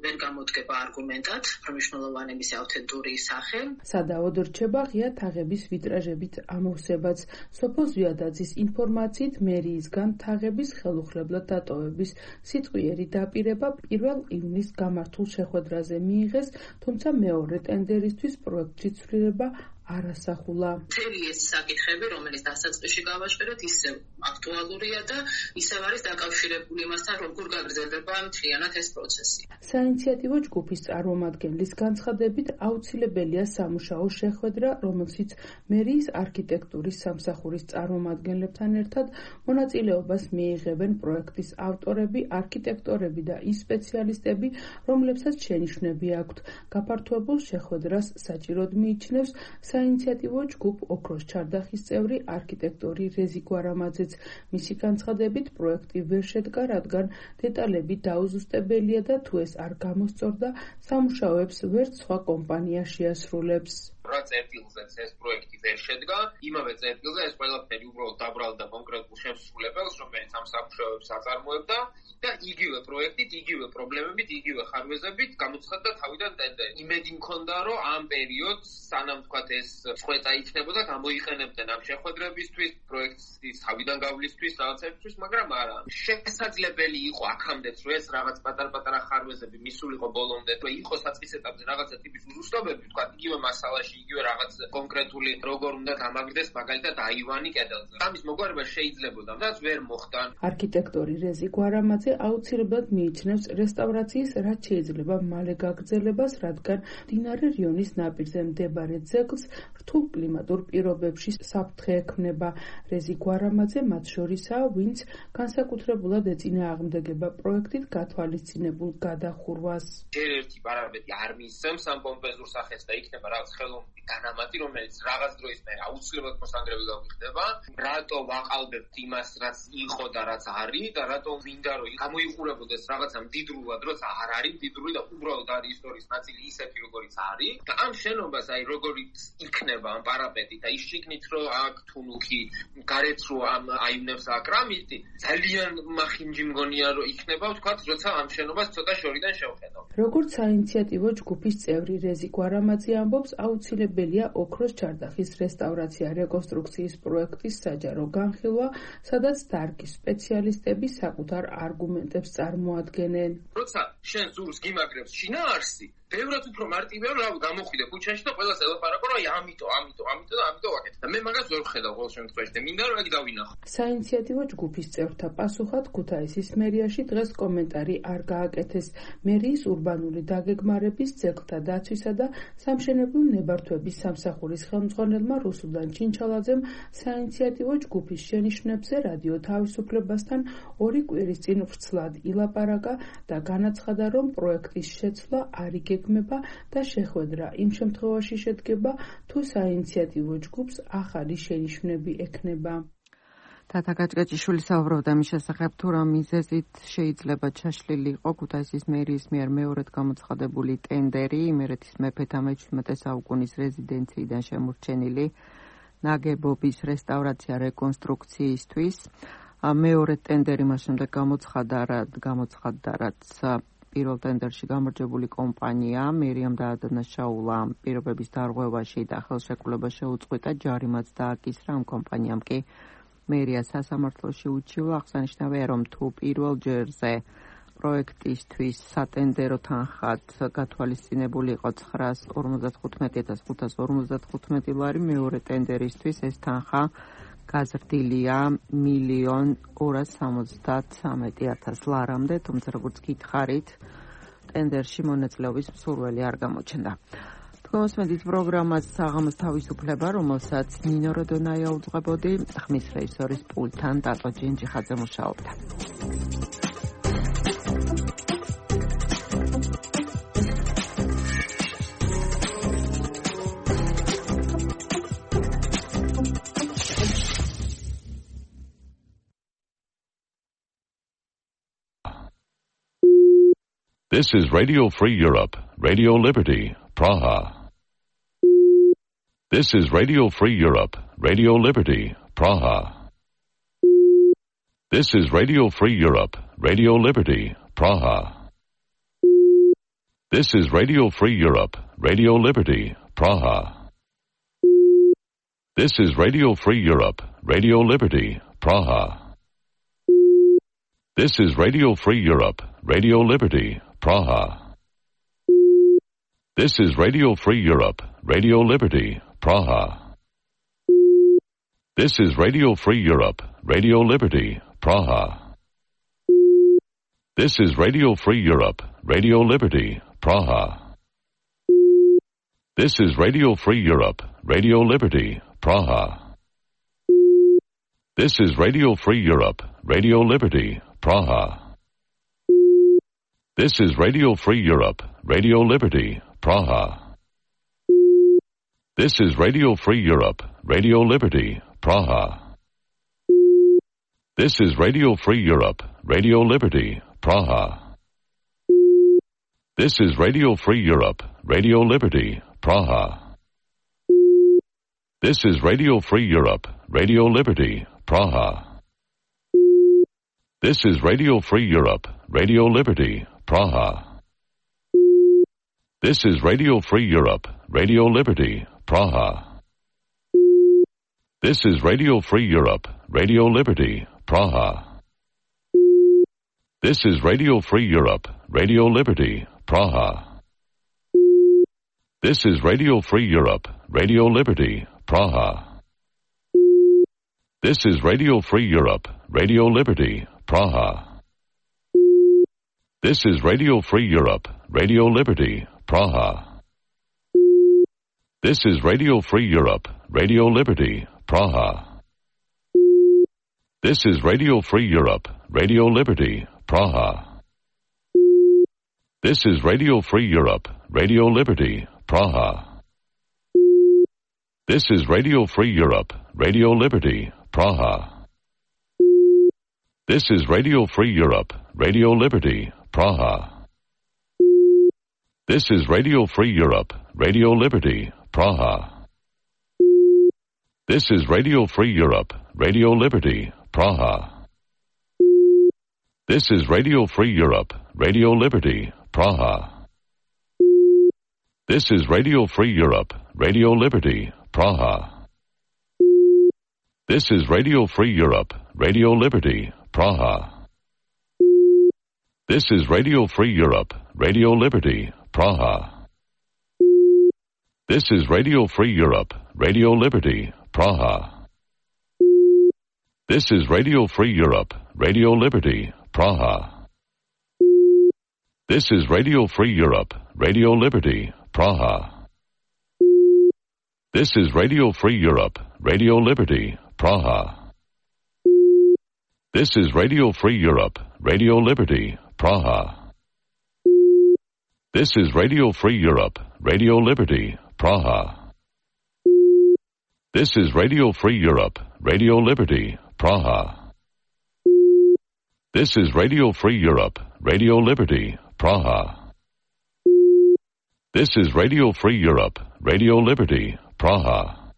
ვერ გამოდგება არგუმენტად, რომ მნიშვნელოვანი მისი ავთენტური სახე. სადავოდ რჩება ღია თაღების ვიტრაჟებით ამოვსებაც. სოფო ზვიადაძის ინფორმაციით, მერიისგან თაღების ხელუხლებლად დატოვების სიტყვიერი დაპირება 1 ივნისს გამართულ შეხვედრაზე მიიღეს, თუმცა მეორე ტენდერისთვის პროექტში ცვლილება არასახულა. მთელი ეს საკითხები, რომელიც დასაწყისში გავაჟღერეთ, ისევ აქტუალურია და ისევ არის დაკავშირებული იმასთან, როგორ გაგრძელდება მთლიანად ეს პროცესი. საინიციატივო ჯგუფის წარმომადგენლის განცხადებით, აუცილებელია სამუშაო შეხვედრა, რომელშიც მერიის არქიტექტურის სამსახურის წარმომადგენლებთან ერთად მონაწილეობას მიიღებენ პროექტის ავტორები, არქიტექტორები და ის სპეციალისტები, რომლებსაც შენიშვნები აქვთ. გაფართოებულ შეხვედრას საჭიროდ მიიჩნევს საინიციატივო ჯგუფ ოქროს ჩარდახის წევრი არქიტექტორი რეზი გვარამაძეც. მისი განცხადებით, პროექტი ვერ შედგა, რადგან დეტალები დაუზუსტებელია და თუ ეს არ გამოსწორდა, სამუშაოებს ვერც სხვა კომპანია შეასრულებს. რა წერტილზეც ეს პროექტი ვერ შედგა, იმავე წერტილზე ეს ყველაფერი უბრალოდ დაბრალდა კონკრეტულ შემსრულებელს, რომელიც ამ სამუშაოებს აწარმოებდა და იგივე პროექტით, იგივე პრობლემებით, იგივე ხარვეზებით გამოცხადდა თავიდან ტენდერი. იმედი მქონდა, რომ ამ პერიოდს, სანამ თქვათ ეს წყვეტა იქნებოდა, გამოიყენებდნენ ამ შეხვედრებისთვის, პროექტის თავიდან გავლისთვის, რაღაცებისთვის, მაგრამ არა. შესაძლებელი იყო აქამდეც, რომ ეს რაღაც პატარ-პატარა ხარვეზები მისულიყო ბოლომდე, თუ იყო საწყის ეტაპზე რაღაცა ტიპის უზუსტობები, თქვათ იგივე მასალაში, იგივე რაღაც კონკრეტული როგორ უნდა გამაგდეს, მაგალითად აივანი კედელზე. ამის მოგვარება შეიძლებოდა, და ვერ მოხდა. არქიტექტორი რეზი გვარამაძე აუცილებლად მიიჩნევს რესტავრაციის რაც შეიძლება მალე გაგრძელებას, რადგან მდინარე რიონის ნაპირზე მდებარე ძეგლს რთულ კლიმატურ პირობებში საფრთხე ექმნება. რეზი გვარამაძე მათ შორისაა, ვინც განსაკუთრებულად ეწინააღმდეგება პროექტით გათვალისწინებულ გადახურვას. ჯერ ერთი პარამეტრი არ მისცემს ამ პომპეზურ სახეს და იქნება რაღაც ხელოვნური განამატი, რომელიც რაღაც დროის მერე აუცილებლად მოსანგრები გამიხდება. რატო ვაყალბებთ იმას, რაც იყო და რაც არის და რატო მინდა რომ გამოიყურებოდეს რაღაცა მდიდრულად, როცა არ არის მდიდრული და უბრალოდ არის ისტორიის ნაწილი ისეთი, როგორიც არის. და ამ შენობას აი როგორიც იქნება ამ პარაპეტი და ის შიგნით რომ აქ თუნუქი გარეთ რო ამ აივნებს აკრამიტი, ძალიან მახინჯი მგონია რომ იქნება, ვთქვათ, როცა ამ შენობას ცოტა შორიდან შევხედავ. როგორც საინიციატივო ჯგუფის წევრი რეზი გვარამაძე ამბობს, აუცილებელია ოქროს ჩარდახის რესტავრაცია რეკონსტრუქციის პროექტის საჯარო განხილვა, სადაც დარგის სპეციალისტები საკუთარ არგუმენტებს წარმოადგენენ. როცა შენ ზურს გიმაგრებს შინაარსი, ბევრად უფრო მარტივია რომ გამოხვიდე ქუჩაში და ყველას ელაპარაკო რომ ამიტომ ვაკეთე. და მე მაგას ვერ ვხედავ ყოველ შემთხვევაში და მინდა რომ აქ დავინახო. საინიციატივო ჯგუფის წევრთა პასუხად ქუთაისის მერიაში დღეს კომენტარი არ გააკეთეს. მერიის ურბანული დაგეგმარების, ძეგლთა დაცვისა და სამშენებლო ნებართვების სამსახურის ხელმძღვანელმა რუსუდან ჩინჩალაძემ საინიციატივო ჯგუფის შენიშვნებზე რადიო თავისუფლებასთან 2 კვირის წინ ვრცლად ილაპარაკა და განაცხადა, რომ პროექტის შეცვლა არ იგეგმება და შეხვედრა იმ შემთხვევაში შედგება, თუ საინიციატივო ჯგუფს ახალი შენიშვნები ექნება. თათა გაჭგაჭიშვილი საუბრობდა მის შესახებ, თუ რა მიზეზით შეიძლება ჩაშლილი იყო ქუთაისის მერიის მიერ მეორედ გამოცხადებული ტენდერი იმერეთის მეფეთა მე-17 საუკუნის რეზიდენციიდან შემორჩენილი ნაგებობის რესტავრაცია რეკონსტრუქციისთვის. მეორე ტენდერი მას შემდეგ გამოცხადდა, რაც პირველ ტენდერში გამარჯვებული კომპანია მერიამ დაადანაშაულა პირობების დარღვევაში და ხელშეკრულება შეუწყვეტა, ჯარიმაც დააკისრა. ამ კომპანიამ კი მერია სასამართლოში უჩივლა. აღსანიშნავია, რომ თუ პირველ ჯერზე პროექტისთვის სატენდერო თანხად გათვალისწინებული იყო 955,555 ლარი, მეორე ტენდერისთვის ეს თანხა გაზრდილია 1,273,000 ლარამდე, თუმცა როგორც გითხარით, ტენდერში მონაწილეობის მსურველი არ გამოჩნდა. თქვენს პროგრამას საღამოს თავისუფლება, რომელსაც ნინო როდონაია უძღვებოდი, ხმის რეჟისორის პულტთან დატო ჯინჯიხაძე მუშაობდა. This is Radio Free Europe, Radio Liberty, Praha. This is Radio Free Europe, Radio Liberty, Praha. This is Radio Free Europe, Radio Liberty, Praha. This is Radio Free Europe, Radio Liberty, Praha. This is Radio Free Europe, Radio Liberty, Praha. This is Radio Free Europe, Radio Liberty, Praha. This is Radio Free Europe, Radio Liberty, Praha. This is Radio Free Europe, Radio Liberty, Praha. This is Radio Free Europe, Radio Liberty, Praha. This is Radio Free Europe, Radio Liberty, Praha. This is Radio Free Europe, Radio Liberty, Praha. This is Radio Free Europe, Radio Liberty, Praha. This is Radio Free Europe, Radio Liberty, Praha. This is Radio Free Europe, Radio Liberty, Praha. This is Radio Free Europe, Radio Liberty, Praha. This is Radio Free Europe, Radio Liberty, Praha. This is Radio Free Europe, Radio Liberty, Praha. This is Radio Free Europe, Radio Liberty, Praha. This is Radio Free Europe, Radio Liberty, Praha. This is Radio Free Europe, Radio Liberty, Praha. This is Radio Free Europe, Radio Liberty, Praha. This is Radio Free Europe, Radio Liberty, Praha. This is Radio Free Europe, Radio Liberty, Praha. This is Radio Free Europe, Radio Liberty, Praha. This is Radio Free Europe, Radio Liberty, Praha. This is Radio Free Europe, Radio Liberty, Praha. This is Radio Free Europe, Radio Liberty, Praha. This is Radio Free Europe, Radio Liberty, Praha. This is Radio Free Europe, Radio Liberty, Praha. This is Radio Free Europe, Radio Liberty, Praha. This is Radio Free Europe, Radio Liberty, Praha. This is Radio Free Europe, Radio Liberty, Praha. This is Radio Free Europe, Radio Liberty, Praha. This is Radio Free Europe, Radio Liberty, Praha. This is Radio Free Europe, Radio Liberty, Praha. This is Radio Free Europe, Radio Liberty, Praha. This is Radio Free Europe, Radio Liberty, Praha. This is Radio Free Europe, Radio Liberty, Praha. This is Radio Free Europe, Radio Liberty, Praha. This is Radio Free Europe, Radio Liberty, Praha. This is Radio Free Europe, Radio Liberty, Praha. This is Radio Free Europe, Radio Liberty, Praha. This is Radio Free Europe, Radio Liberty, Praha.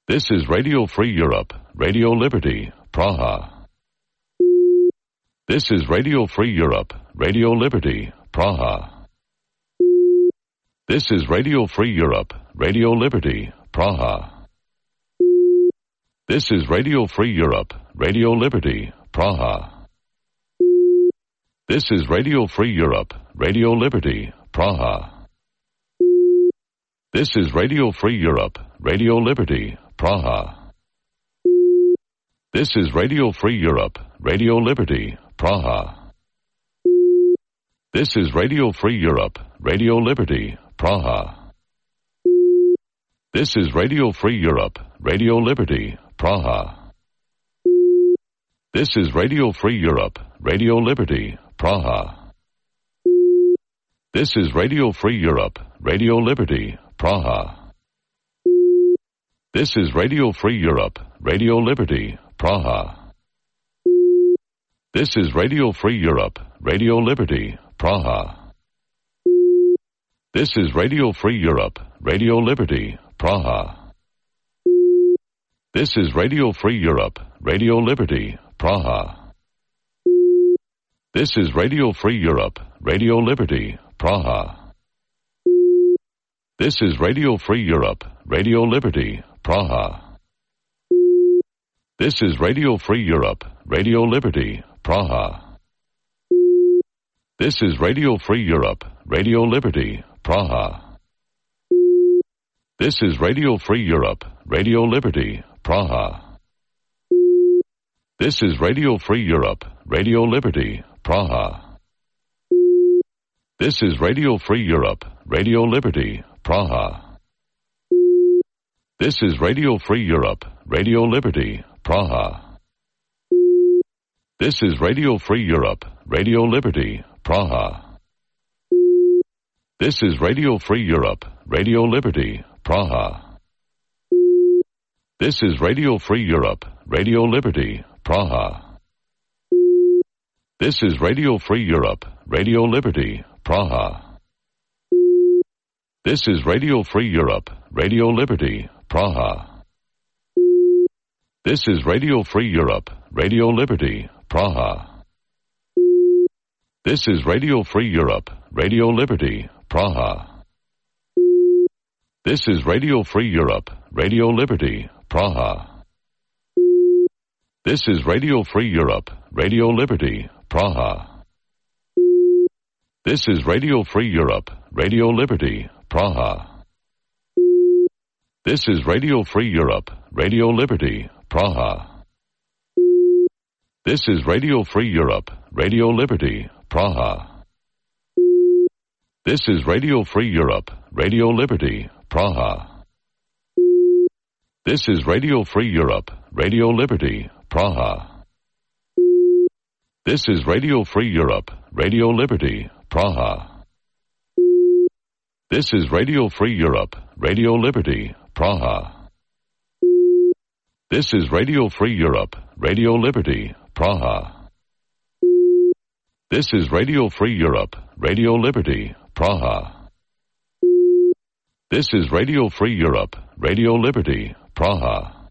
This is Radio Free Europe, Radio Liberty, Praha. This is Radio Free Europe, Radio Liberty, Praha. This is Radio Free Europe, Radio Liberty, Praha. This is Radio Free Europe, Radio Liberty, Praha. This is Radio Free Europe, Radio Liberty, Praha. This is Radio Free Europe, Radio Liberty, Praha. This is Radio Free Europe, Radio Liberty, Praha. This is Radio Free Europe, Radio Liberty, Praha. This is Radio Free Europe, Radio Liberty, Praha. This is Radio Free Europe, Radio Liberty, Praha. This is Radio Free Europe, Radio Liberty, Praha. This is Radio Free Europe, Radio Liberty, Praha. This is Radio Free Europe, Radio Liberty, Praha. This is Radio Free Europe, Radio Liberty, Praha. This is Radio Free Europe, Radio Liberty, Praha. This is Radio Free Europe, Radio Liberty, Praha. This is Radio Free Europe, Radio Liberty, Praha. This is Radio Free Europe, Radio Liberty, Praha. This is Radio Free Europe, Radio Liberty, Praha. This is Radio Free Europe, Radio Liberty, Praha. This is Radio Free Europe, Radio Liberty, Praha. This is Radio Free Europe, Radio Liberty, Praha. This is Radio Free Europe, Radio Liberty, Praha. This is Radio Free Europe, Radio Liberty, Praha. This is Radio Free Europe, Radio Liberty, Praha. This is Radio Free Europe, Radio Liberty, Praha. This is Radio Free Europe, Radio Liberty, Praha. This is Radio Free Europe, Radio Liberty, Praha. This is Radio Free Europe, Radio Liberty, Praha. This is Radio Free Europe, Radio Liberty, Praha. This is Radio Free Europe, Radio Liberty, Praha. This is Radio Free Europe, Radio Liberty, Praha. This is Radio Free Europe, Radio Liberty, Praha. This is Radio Free Europe, Radio Liberty, Praha. This is Radio Free Europe, Radio Liberty, Praha. This is Radio Free Europe, Radio Liberty, Praha. This is Radio Free Europe, Radio Liberty, Praha. This is Radio Free Europe, Radio Liberty, Praha. This is Radio Free Europe, Radio Liberty, Praha. This is Radio Free Europe, Radio Liberty, Praha. This is Radio Free Europe, Radio Liberty, Praha. This is Radio Free Europe, Radio Liberty, Praha. This is Radio Free Europe, Radio Liberty, Praha.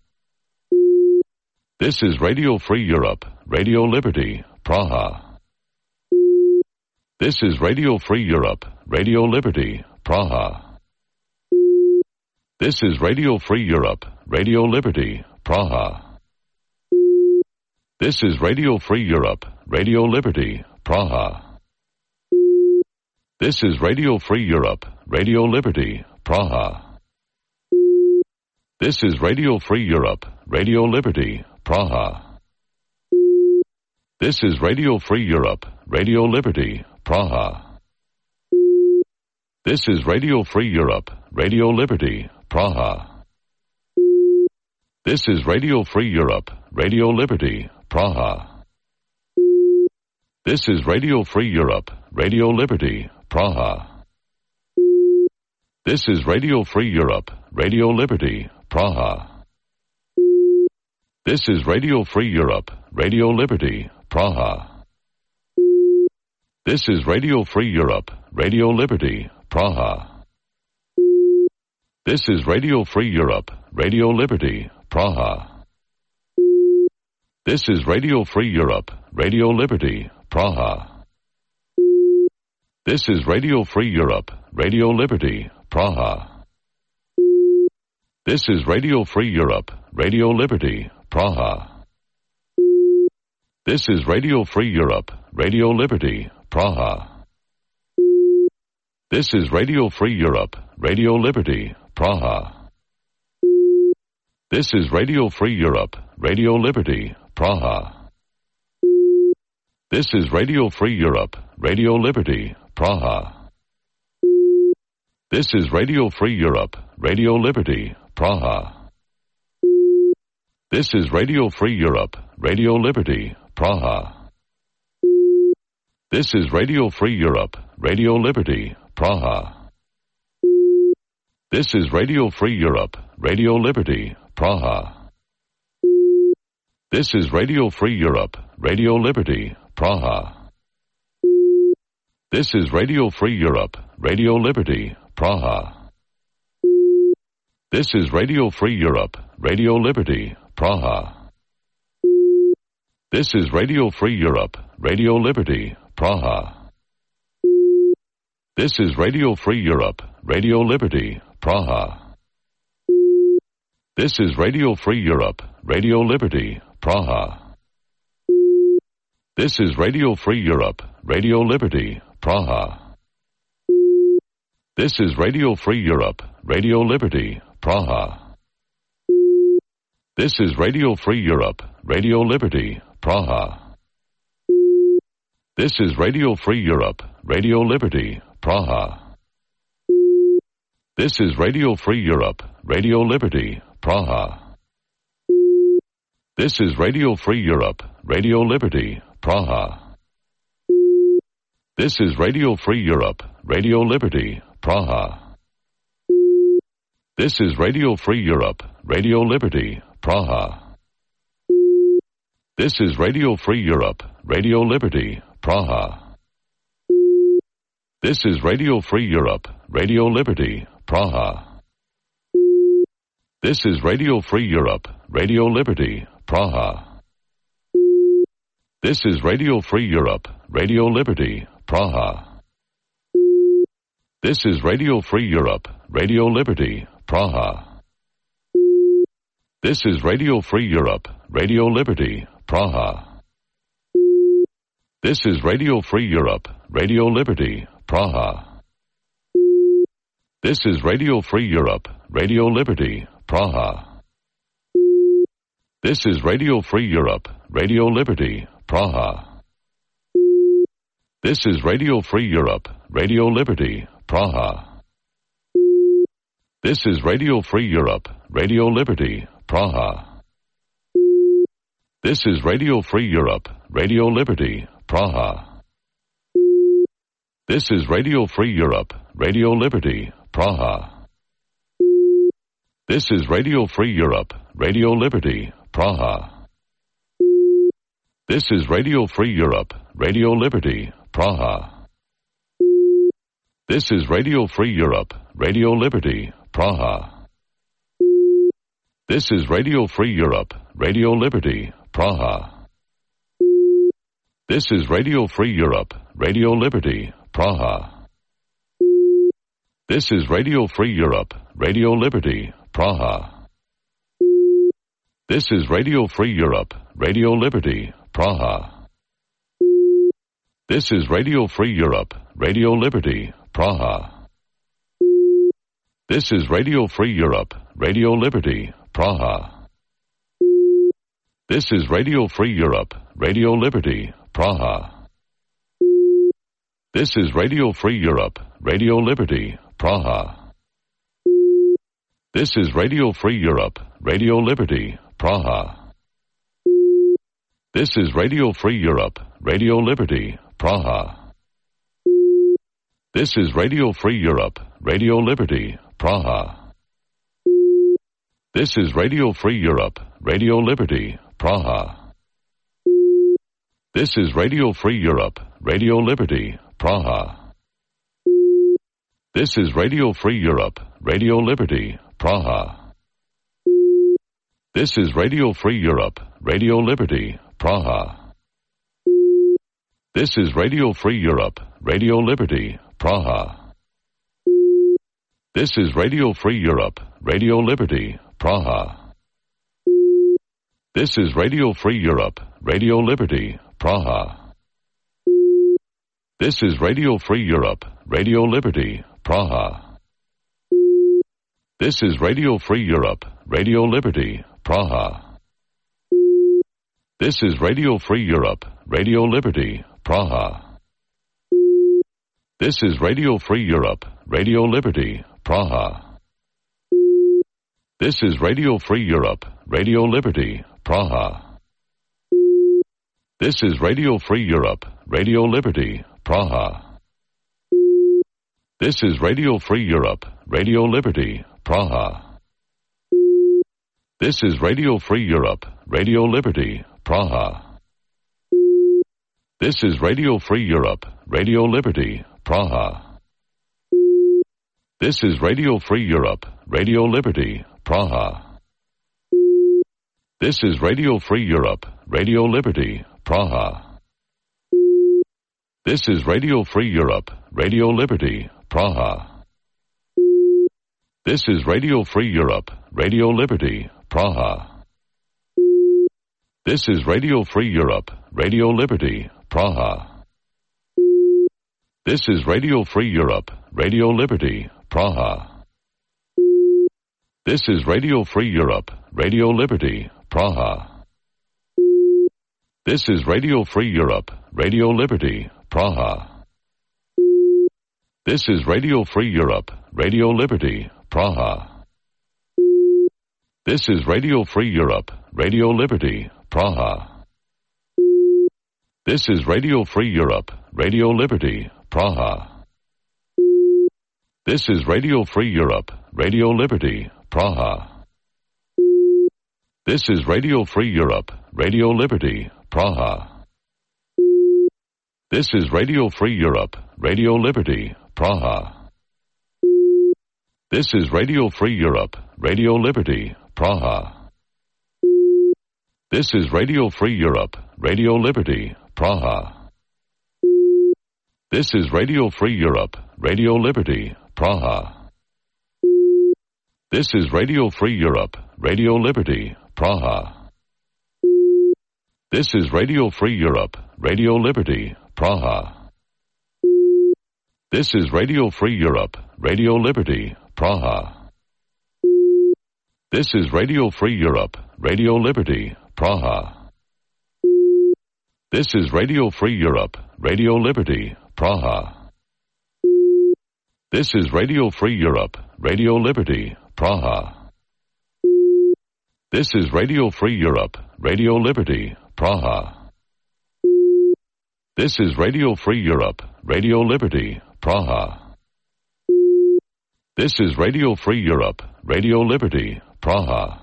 This is Radio Free Europe, Radio Liberty, Praha. This is Radio Free Europe, Radio Liberty, Praha. This is Radio Free Europe, Radio Liberty, Praha. This is Radio Free Europe, Radio Liberty, Praha. This is Radio Free Europe, Radio Liberty, Praha. This is Radio Free Europe, Radio Liberty, Praha. This is Radio Free Europe, Radio Liberty, Praha. This is Radio Free Europe, Radio Liberty, Praha. This is Radio Free Europe, Radio Liberty, Praha. This is Radio Free Europe, Radio Liberty, Praha. This is Radio Free Europe, Radio Liberty, Praha. This is Radio Free Europe, Radio Liberty, Praha. This is Radio Free Europe, Radio Liberty, Praha. This is Radio Free Europe, Radio Liberty, Praha. This is Radio Free Europe, Radio Liberty, Praha. This is Radio Free Europe, Radio Liberty, Praha. This is Radio Free Europe, Radio Liberty, Praha. This is Radio Free Europe, Radio Liberty, Praha. This is Radio Free Europe, Radio Liberty, Praha. This is Radio Free Europe, Radio Liberty, Praha. This is Radio Free Europe, Radio Liberty, Praha. This is Radio Free Europe, Radio Liberty, Praha. This is Radio Free Europe, Radio Liberty, Praha. This is Radio Free Europe, Radio Liberty, Praha. This is Radio Free Europe, Radio Liberty, Praha. This is Radio Free Europe, Radio Liberty, Praha. This is Radio Free Europe, Radio Liberty, Praha. This is Radio Free Europe, Radio Liberty, Praha. This is Radio Free Europe, Radio Liberty, Praha. This is Radio Free Europe, Radio Liberty, Praha. This is Radio Free Europe, Radio Liberty, Praha. This is Radio Free Europe, Radio Liberty, Praha. This is Radio Free Europe, Radio Liberty, Praha. This is Radio Free Europe, Radio Liberty, Praha. This is Radio Free Europe, Radio Liberty, Praha. This is Radio Free Europe, Radio Liberty, Praha. This is Radio Free Europe, Radio Liberty, Praha. This is Radio Free Europe, Radio Liberty, Praha. This is Radio Free Europe, Radio Liberty, Praha. This is Radio Free Europe, Radio Liberty, Praha. This is Radio Free Europe, Radio Liberty, Praha. This is Radio Free Europe, Radio Liberty, Praha. This is Radio Free Europe, Radio Liberty, Praha. This is Radio Free Europe, Radio Liberty, Praha. This is Radio Free Europe, Radio Liberty, Praha. This is Radio Free Europe, Radio Liberty, Praha. This is Radio Free Europe, Radio Liberty, Praha. This is Radio Free Europe, Radio Liberty, Praha. This is Radio Free Europe, Radio Liberty, Praha. This is Radio Free Europe, Radio Liberty, Praha. This is Radio Free Europe, Radio Liberty, Praha. This is Radio Free Europe, Radio Liberty, Praha. This is Radio Free Europe, Radio Liberty, Praha. This is Radio Free Europe, Radio Liberty, Praha. This is Radio Free Europe, Radio Liberty, Praha. This is Radio Free Europe, Radio Liberty, Praha. This is Radio Free Europe, Radio Liberty, Praha. This is Radio Free Europe, Radio Liberty, Praha. This is Radio Free Europe, Radio Liberty, Praha. This is Radio Free Europe, Radio Liberty, Praha. This is Radio Free Europe, Radio Liberty, Praha. This is Radio Free Europe, Radio Liberty, Praha. This is Radio Free Europe, Radio Liberty, Praha. This is Radio Free Europe, Radio Liberty, Praha. This is Radio Free Europe, Radio Liberty, Praha. This is Radio Free Europe, Radio Liberty, Praha. This is Radio Free Europe, Radio Liberty, Praha. This is Radio Free Europe, Radio Liberty, Praha. This is Radio Free Europe, Radio Liberty, Praha. This is Radio Free Europe, Radio Liberty, Praha. This is Radio Free Europe, Radio Liberty, Praha. This is Radio Free Europe, Radio Liberty, Praha. This is Radio Free Europe, Radio Liberty, Praha. This is Radio Free Europe, Radio Liberty, Praha. This is Radio Free Europe, Radio Liberty, Praha. This is Radio Free Europe, Radio Liberty, Praha. This is Radio Free Europe, Radio Liberty, Praha. This is Radio Free Europe, Radio Liberty, Praha. This is Radio Free Europe, Radio Liberty, Praha. This is Radio Free Europe, Radio Liberty, Praha. This is Radio Free Europe, Radio Liberty, Praha. This is Radio Free Europe, Radio Liberty, Praha. This is Radio Free Europe, Radio Liberty, Praha. This is Radio Free Europe, Radio Liberty, Praha. This is Radio Free Europe, Radio Liberty, Praha. This is Radio Free Europe, Radio Liberty, Praha. This is Radio Free Europe, Radio Liberty, Praha. This is Radio Free Europe, Radio Liberty, Praha. This is Radio Free Europe, Radio Liberty, Praha. This is Radio Free Europe, Radio Liberty, Praha. This is Radio Free Europe, Radio Liberty, Praha. This is Radio Free Europe, Radio Liberty, Praha. This is Radio Free Europe, Radio Liberty, Praha. This is Radio Free Europe, Radio Liberty, Praha. This is Radio Free Europe, Radio Liberty, Praha. This is Radio Free Europe, Radio Liberty, Praha. This is Radio Free Europe, Radio Liberty, Praha. This is Radio Free Europe, Radio Liberty, Praha. This is Radio Free Europe, Radio Liberty, Praha. This is Radio Free Europe, Radio Liberty, Praha. This is Radio Free Europe, Radio Liberty, Praha. This is Radio Free Europe, Radio Liberty, Praha. This is Radio Free Europe, Radio Liberty, Praha. This is Radio Free Europe, Radio Liberty, Praha. This is Radio Free Europe, Radio Liberty, Praha. This is Radio Free Europe, Radio Liberty, Praha. This is Radio Free Europe, Radio Liberty, Praha. This is Radio Free Europe, Radio Liberty, Praha.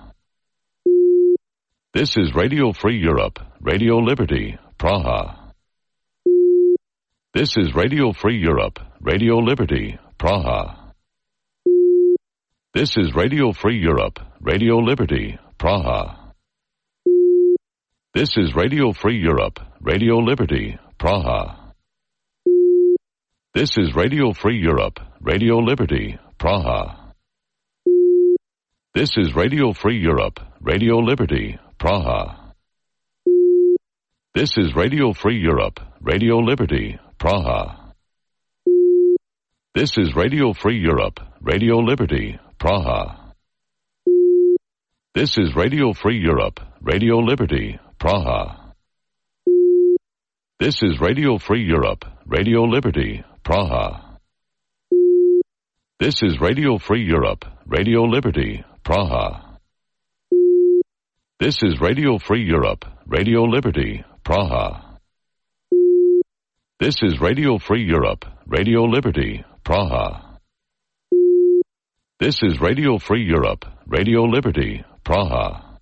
This is Radio Free Europe, Radio Liberty, Praha. This is Radio Free Europe, Radio Liberty, Praha. This is Radio Free Europe, Radio Liberty, Praha. This is Radio Free Europe, Radio Liberty, Praha. This is Radio Free Europe, Radio Liberty, Praha. This is Radio Free Europe, Radio Liberty, Praha. This is Radio Free Europe, Radio Liberty, Praha. This is Radio Free Europe, Radio Liberty, Praha. This is Radio Free Europe, Radio Liberty, Praha. This is Radio Free Europe, Radio Liberty, Praha. This is Radio Free Europe, Radio Liberty, Praha. This is Radio Free Europe, Radio Liberty, Praha. This is Radio Free Europe, Radio Liberty, Praha.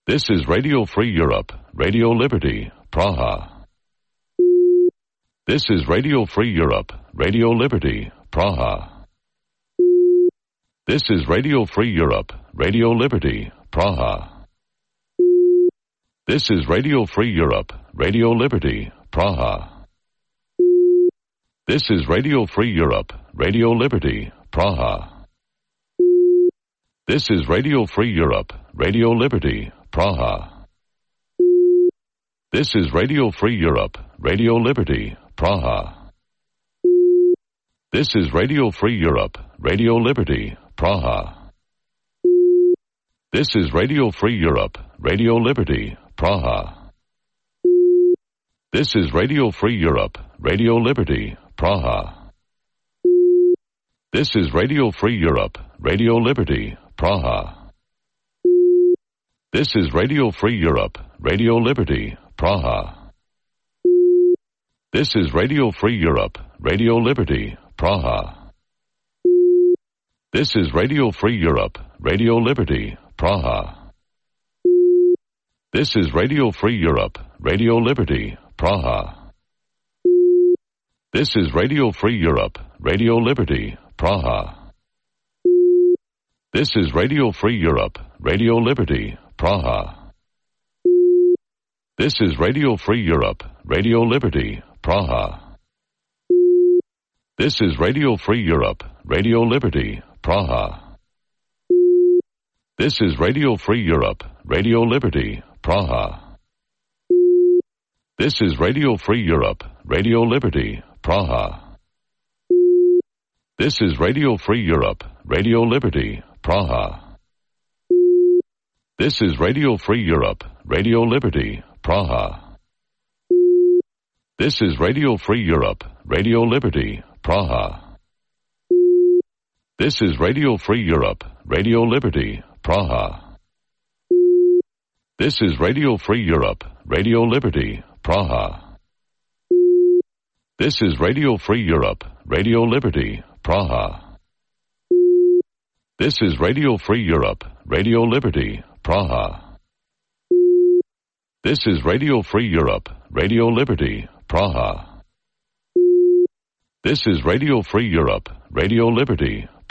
This is Radio Free Europe, Radio Liberty, Praha. This is Radio Free Europe, Radio Liberty, Praha. This is Radio Free Europe, Radio Liberty, Praha. This is Radio Free Europe, Radio Liberty, Praha. This is Radio Free Europe, Radio Liberty, Praha. This is Radio Free Europe, Radio Liberty, Praha. This is Radio Free Europe, Radio Liberty, Praha. This is Radio Free Europe, Radio Liberty, Praha. This is Radio Free Europe, Radio Liberty, Praha. This is Radio Free Europe, Radio Liberty, Praha. This is Radio Free Europe, Radio Liberty, Praha. This is Radio Free Europe, Radio Liberty, Praha. This is Radio Free Europe, Radio Liberty, Praha. This is Radio Free Europe, Radio Liberty, Praha. This is Radio Free Europe, Radio Liberty, Praha. This is Radio Free Europe, Radio Liberty, Praha. This is Radio Free Europe, Radio Liberty, Praha. This is Radio Free Europe, Radio Liberty, Praha. This is Radio Free Europe, Radio Liberty, Praha. This is Radio Free Europe, Radio Liberty, Praha. This is Radio Free Europe, Radio Liberty, Praha. This is Radio Free Europe, Radio Liberty, Praha. This is Radio Free Europe, Radio Liberty, Praha. This is Radio Free Europe, Radio Liberty, Praha. This is Radio Free Europe, Radio Liberty, Praha. This is Radio Free Europe, Radio Liberty, Praha. This is Radio Free Europe, Radio Liberty, Praha. This is Radio Free Europe, Radio Liberty, Praha. This is Radio Free Europe, Radio Liberty, Praha. This is Radio Free Europe, Radio Liberty, Praha.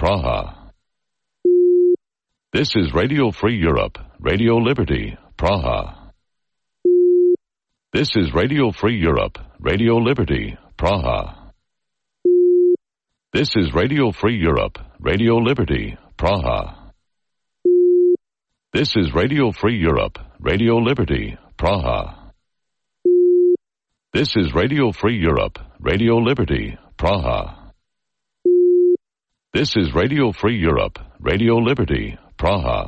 This is Radio Free Europe, Radio Liberty, Praha. This is Radio Free Europe, Radio Liberty, Praha. This is Radio Free Europe, Radio Liberty, Praha. This is Radio Free Europe, Radio Liberty, Praha. This is Radio Free Europe, Radio Liberty, Praha. This is Radio Free Europe, Radio Liberty, Praha.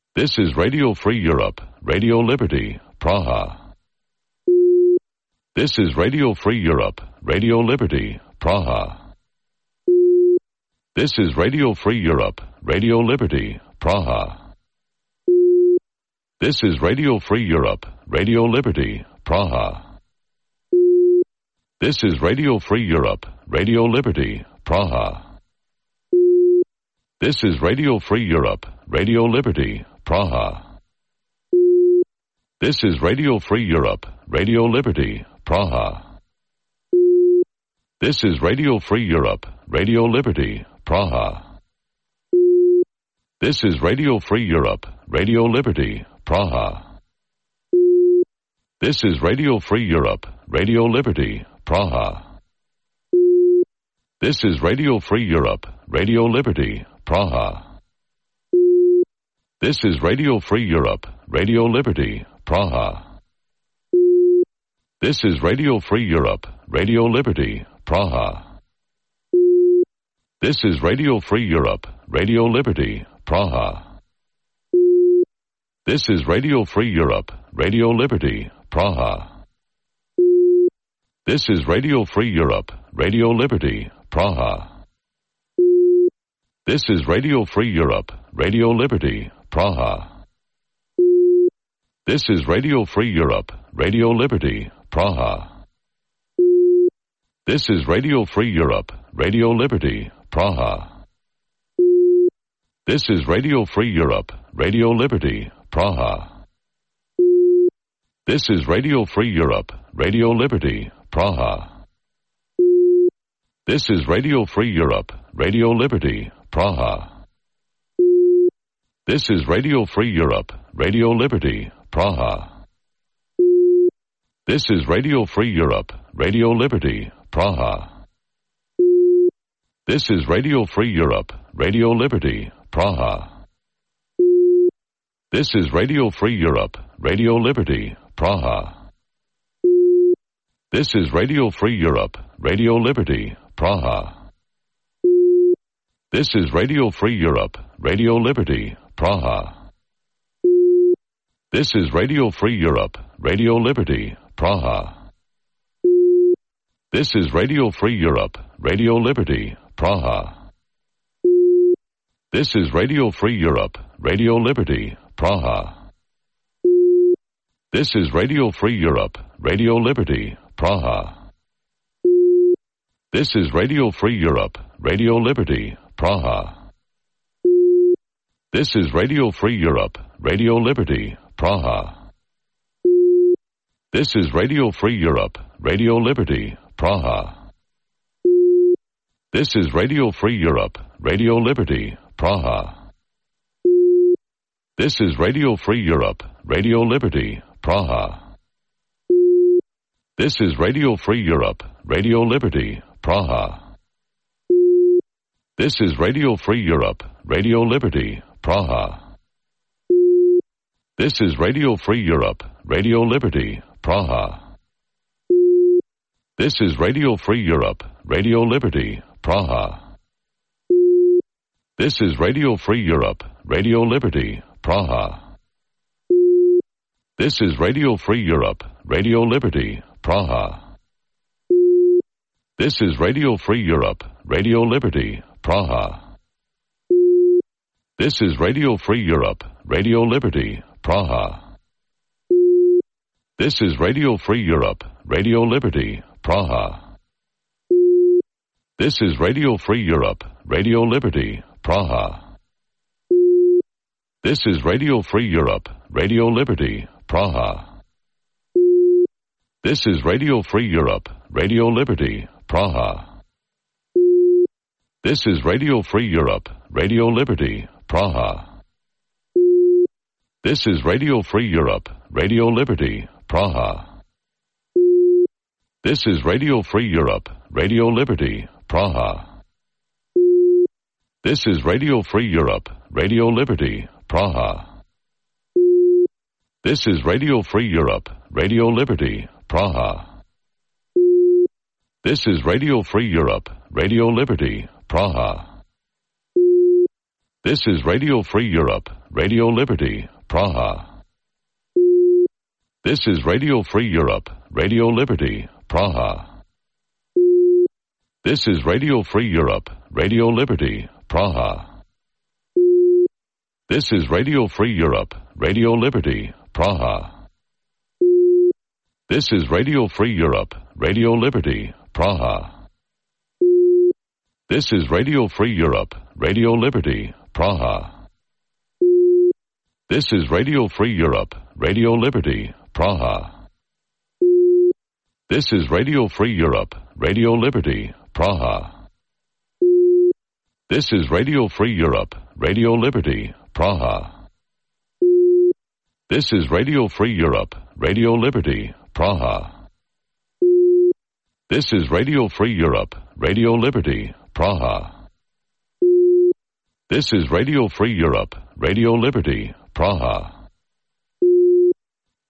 This is Radio Free Europe, Radio Liberty, Praha. This is Radio Free Europe, Radio Liberty, Praha. This is Radio Free Europe, Radio Liberty, Praha. This is Radio Free Europe, Radio Liberty, Praha. This is Radio Free Europe, Radio Liberty, Praha. This is Radio Free Europe, Radio Liberty, Praha. This is Radio Free Europe, Radio Liberty, Praha. This is Radio Free Europe, Radio Liberty, Praha. This is Radio Free Europe, Radio Liberty, Praha. This is Radio Free Europe, Radio Liberty, Praha. This is Radio Free Europe, Radio Liberty, Praha. This is Radio Free Europe, Radio Liberty, Praha. This is Radio Free Europe, Radio Liberty, Praha. This is Radio Free Europe, Radio Liberty, Praha. This is Radio Free Europe, Radio Liberty, Praha. This is Radio Free Europe, Radio Liberty, Praha. This is Radio Free Europe, Radio Liberty, Praha. This is Radio Free Europe, Radio Liberty, Praha. This is Radio Free Europe, Radio Liberty, Praha. This is Radio Free Europe, Radio Liberty, Praha. This is Radio Free Europe, Radio Liberty, Praha. This is Radio Free Europe, Radio Liberty, Praha. This is Radio Free Europe, Radio Liberty, Praha. This is Radio Free Europe, Radio Liberty, Praha. This is Radio Free Europe, Radio Liberty, Praha. This is Radio Free Europe, Radio Liberty, Praha. This is Radio Free Europe, Radio Liberty, Praha. This is Radio Free Europe, Radio Liberty, Praha. This is Radio Free Europe, Radio Liberty, Praha. This is Radio Free Europe, Radio Liberty, Praha. This is Radio Free Europe, Radio Liberty, Praha. This is Radio Free Europe, Radio Liberty, Praha. This is Radio Free Europe, Radio Liberty, Praha. This is Radio Free Europe, Radio Liberty, Praha. This is Radio Free Europe, Radio Liberty, Praha. This is Radio Free Europe, Radio Liberty, Praha. This is Radio Free Europe, Radio Liberty, Praha. This is Radio Free Europe, Radio Liberty, Praha. This is Radio Free Europe, Radio Liberty, Praha. This is Radio Free Europe, Radio Liberty, Praha. This is Radio Free Europe, Radio Liberty, Praha. This is Radio Free Europe, Radio Liberty, Praha. This is Radio Free Europe, Radio Liberty, Praha. This is Radio Free Europe, Radio Liberty, Praha. This is Radio Free Europe, Radio Liberty, Praha. This is Radio Free Europe, Radio Liberty, Praha. This is Radio Free Europe, Radio Liberty, Praha. This is Radio Free Europe, Radio Liberty, Praha. This is Radio Free Europe, Radio Liberty, Praha. This is Radio Free Europe, Radio Liberty, Praha. This is Radio Free Europe, Radio Liberty, Praha. This is Radio Free Europe, Radio Liberty, Praha. This is Radio Free Europe, Radio Liberty, Praha. This is Radio Free Europe, Radio Liberty, Praha. This is Radio Free Europe, Radio Liberty, Praha. This is Radio Free Europe, Radio Liberty, Praha. This is Radio Free Europe, Radio Liberty, Praha. This is Radio Free Europe, Radio Liberty, Praha. This is Radio Free Europe, Radio Liberty, Praha. This is Radio Free Europe, Radio Liberty, Praha. This is Radio Free Europe, Radio Liberty, Praha. This is Radio Free Europe, Radio Liberty, Praha. This is Radio Free Europe, Radio Liberty, Praha. This is Radio Free Europe, Radio Liberty, Praha. This is Radio Free Europe, Radio Liberty, Praha. This is Radio Free Europe, Radio Liberty, Praha. This is Radio Free Europe, Radio Liberty, Praha.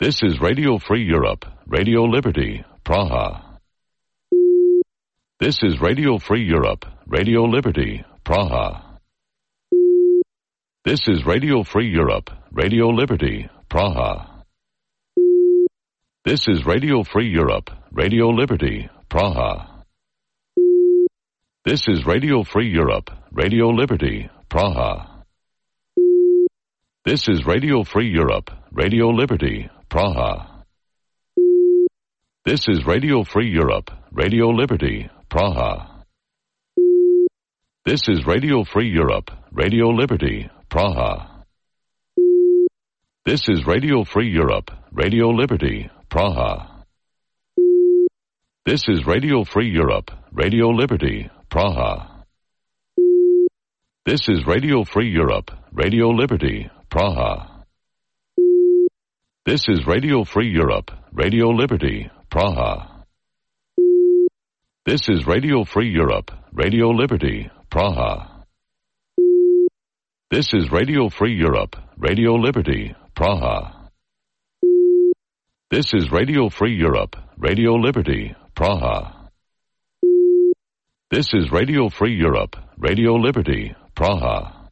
This is Radio Free Europe, Radio Liberty, Praha. This is Radio Free Europe, Radio Liberty, Praha. This is Radio Free Europe, Radio Liberty, Praha. This is Radio Free Europe, Radio Liberty, Praha. This is Radio Free Europe, Radio Liberty, Praha. This is Radio Free Europe, Radio Liberty, Praha. This is Radio Free Europe, Radio Liberty, Praha. This is Radio Free Europe, Radio Liberty, Praha. This is Radio Free Europe, Radio Liberty, Praha. This is Radio Free Europe, Radio Liberty, Praha. This is Radio Free Europe, Radio Liberty, Praha. This is Radio Free Europe, Radio Liberty, Praha. This is Radio Free Europe, Radio Liberty, Praha. This is Radio Free Europe, Radio Liberty, Praha. This is Radio Free Europe, Radio Liberty, Praha. This is Radio Free Europe, Radio Liberty, Praha.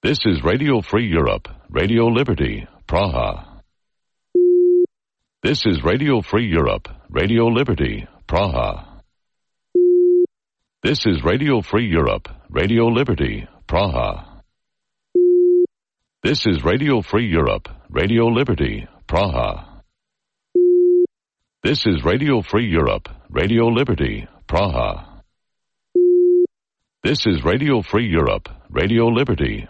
This is Radio Free Europe, Radio Liberty, Praha. This is Radio Free Europe, Radio Liberty, Praha. This is Radio Free Europe, Radio Liberty, Praha. This is Radio Free Europe, Radio Liberty, Praha. This is Radio Free Europe, Radio Liberty, Praha. This is Radio Free Europe, Radio Liberty,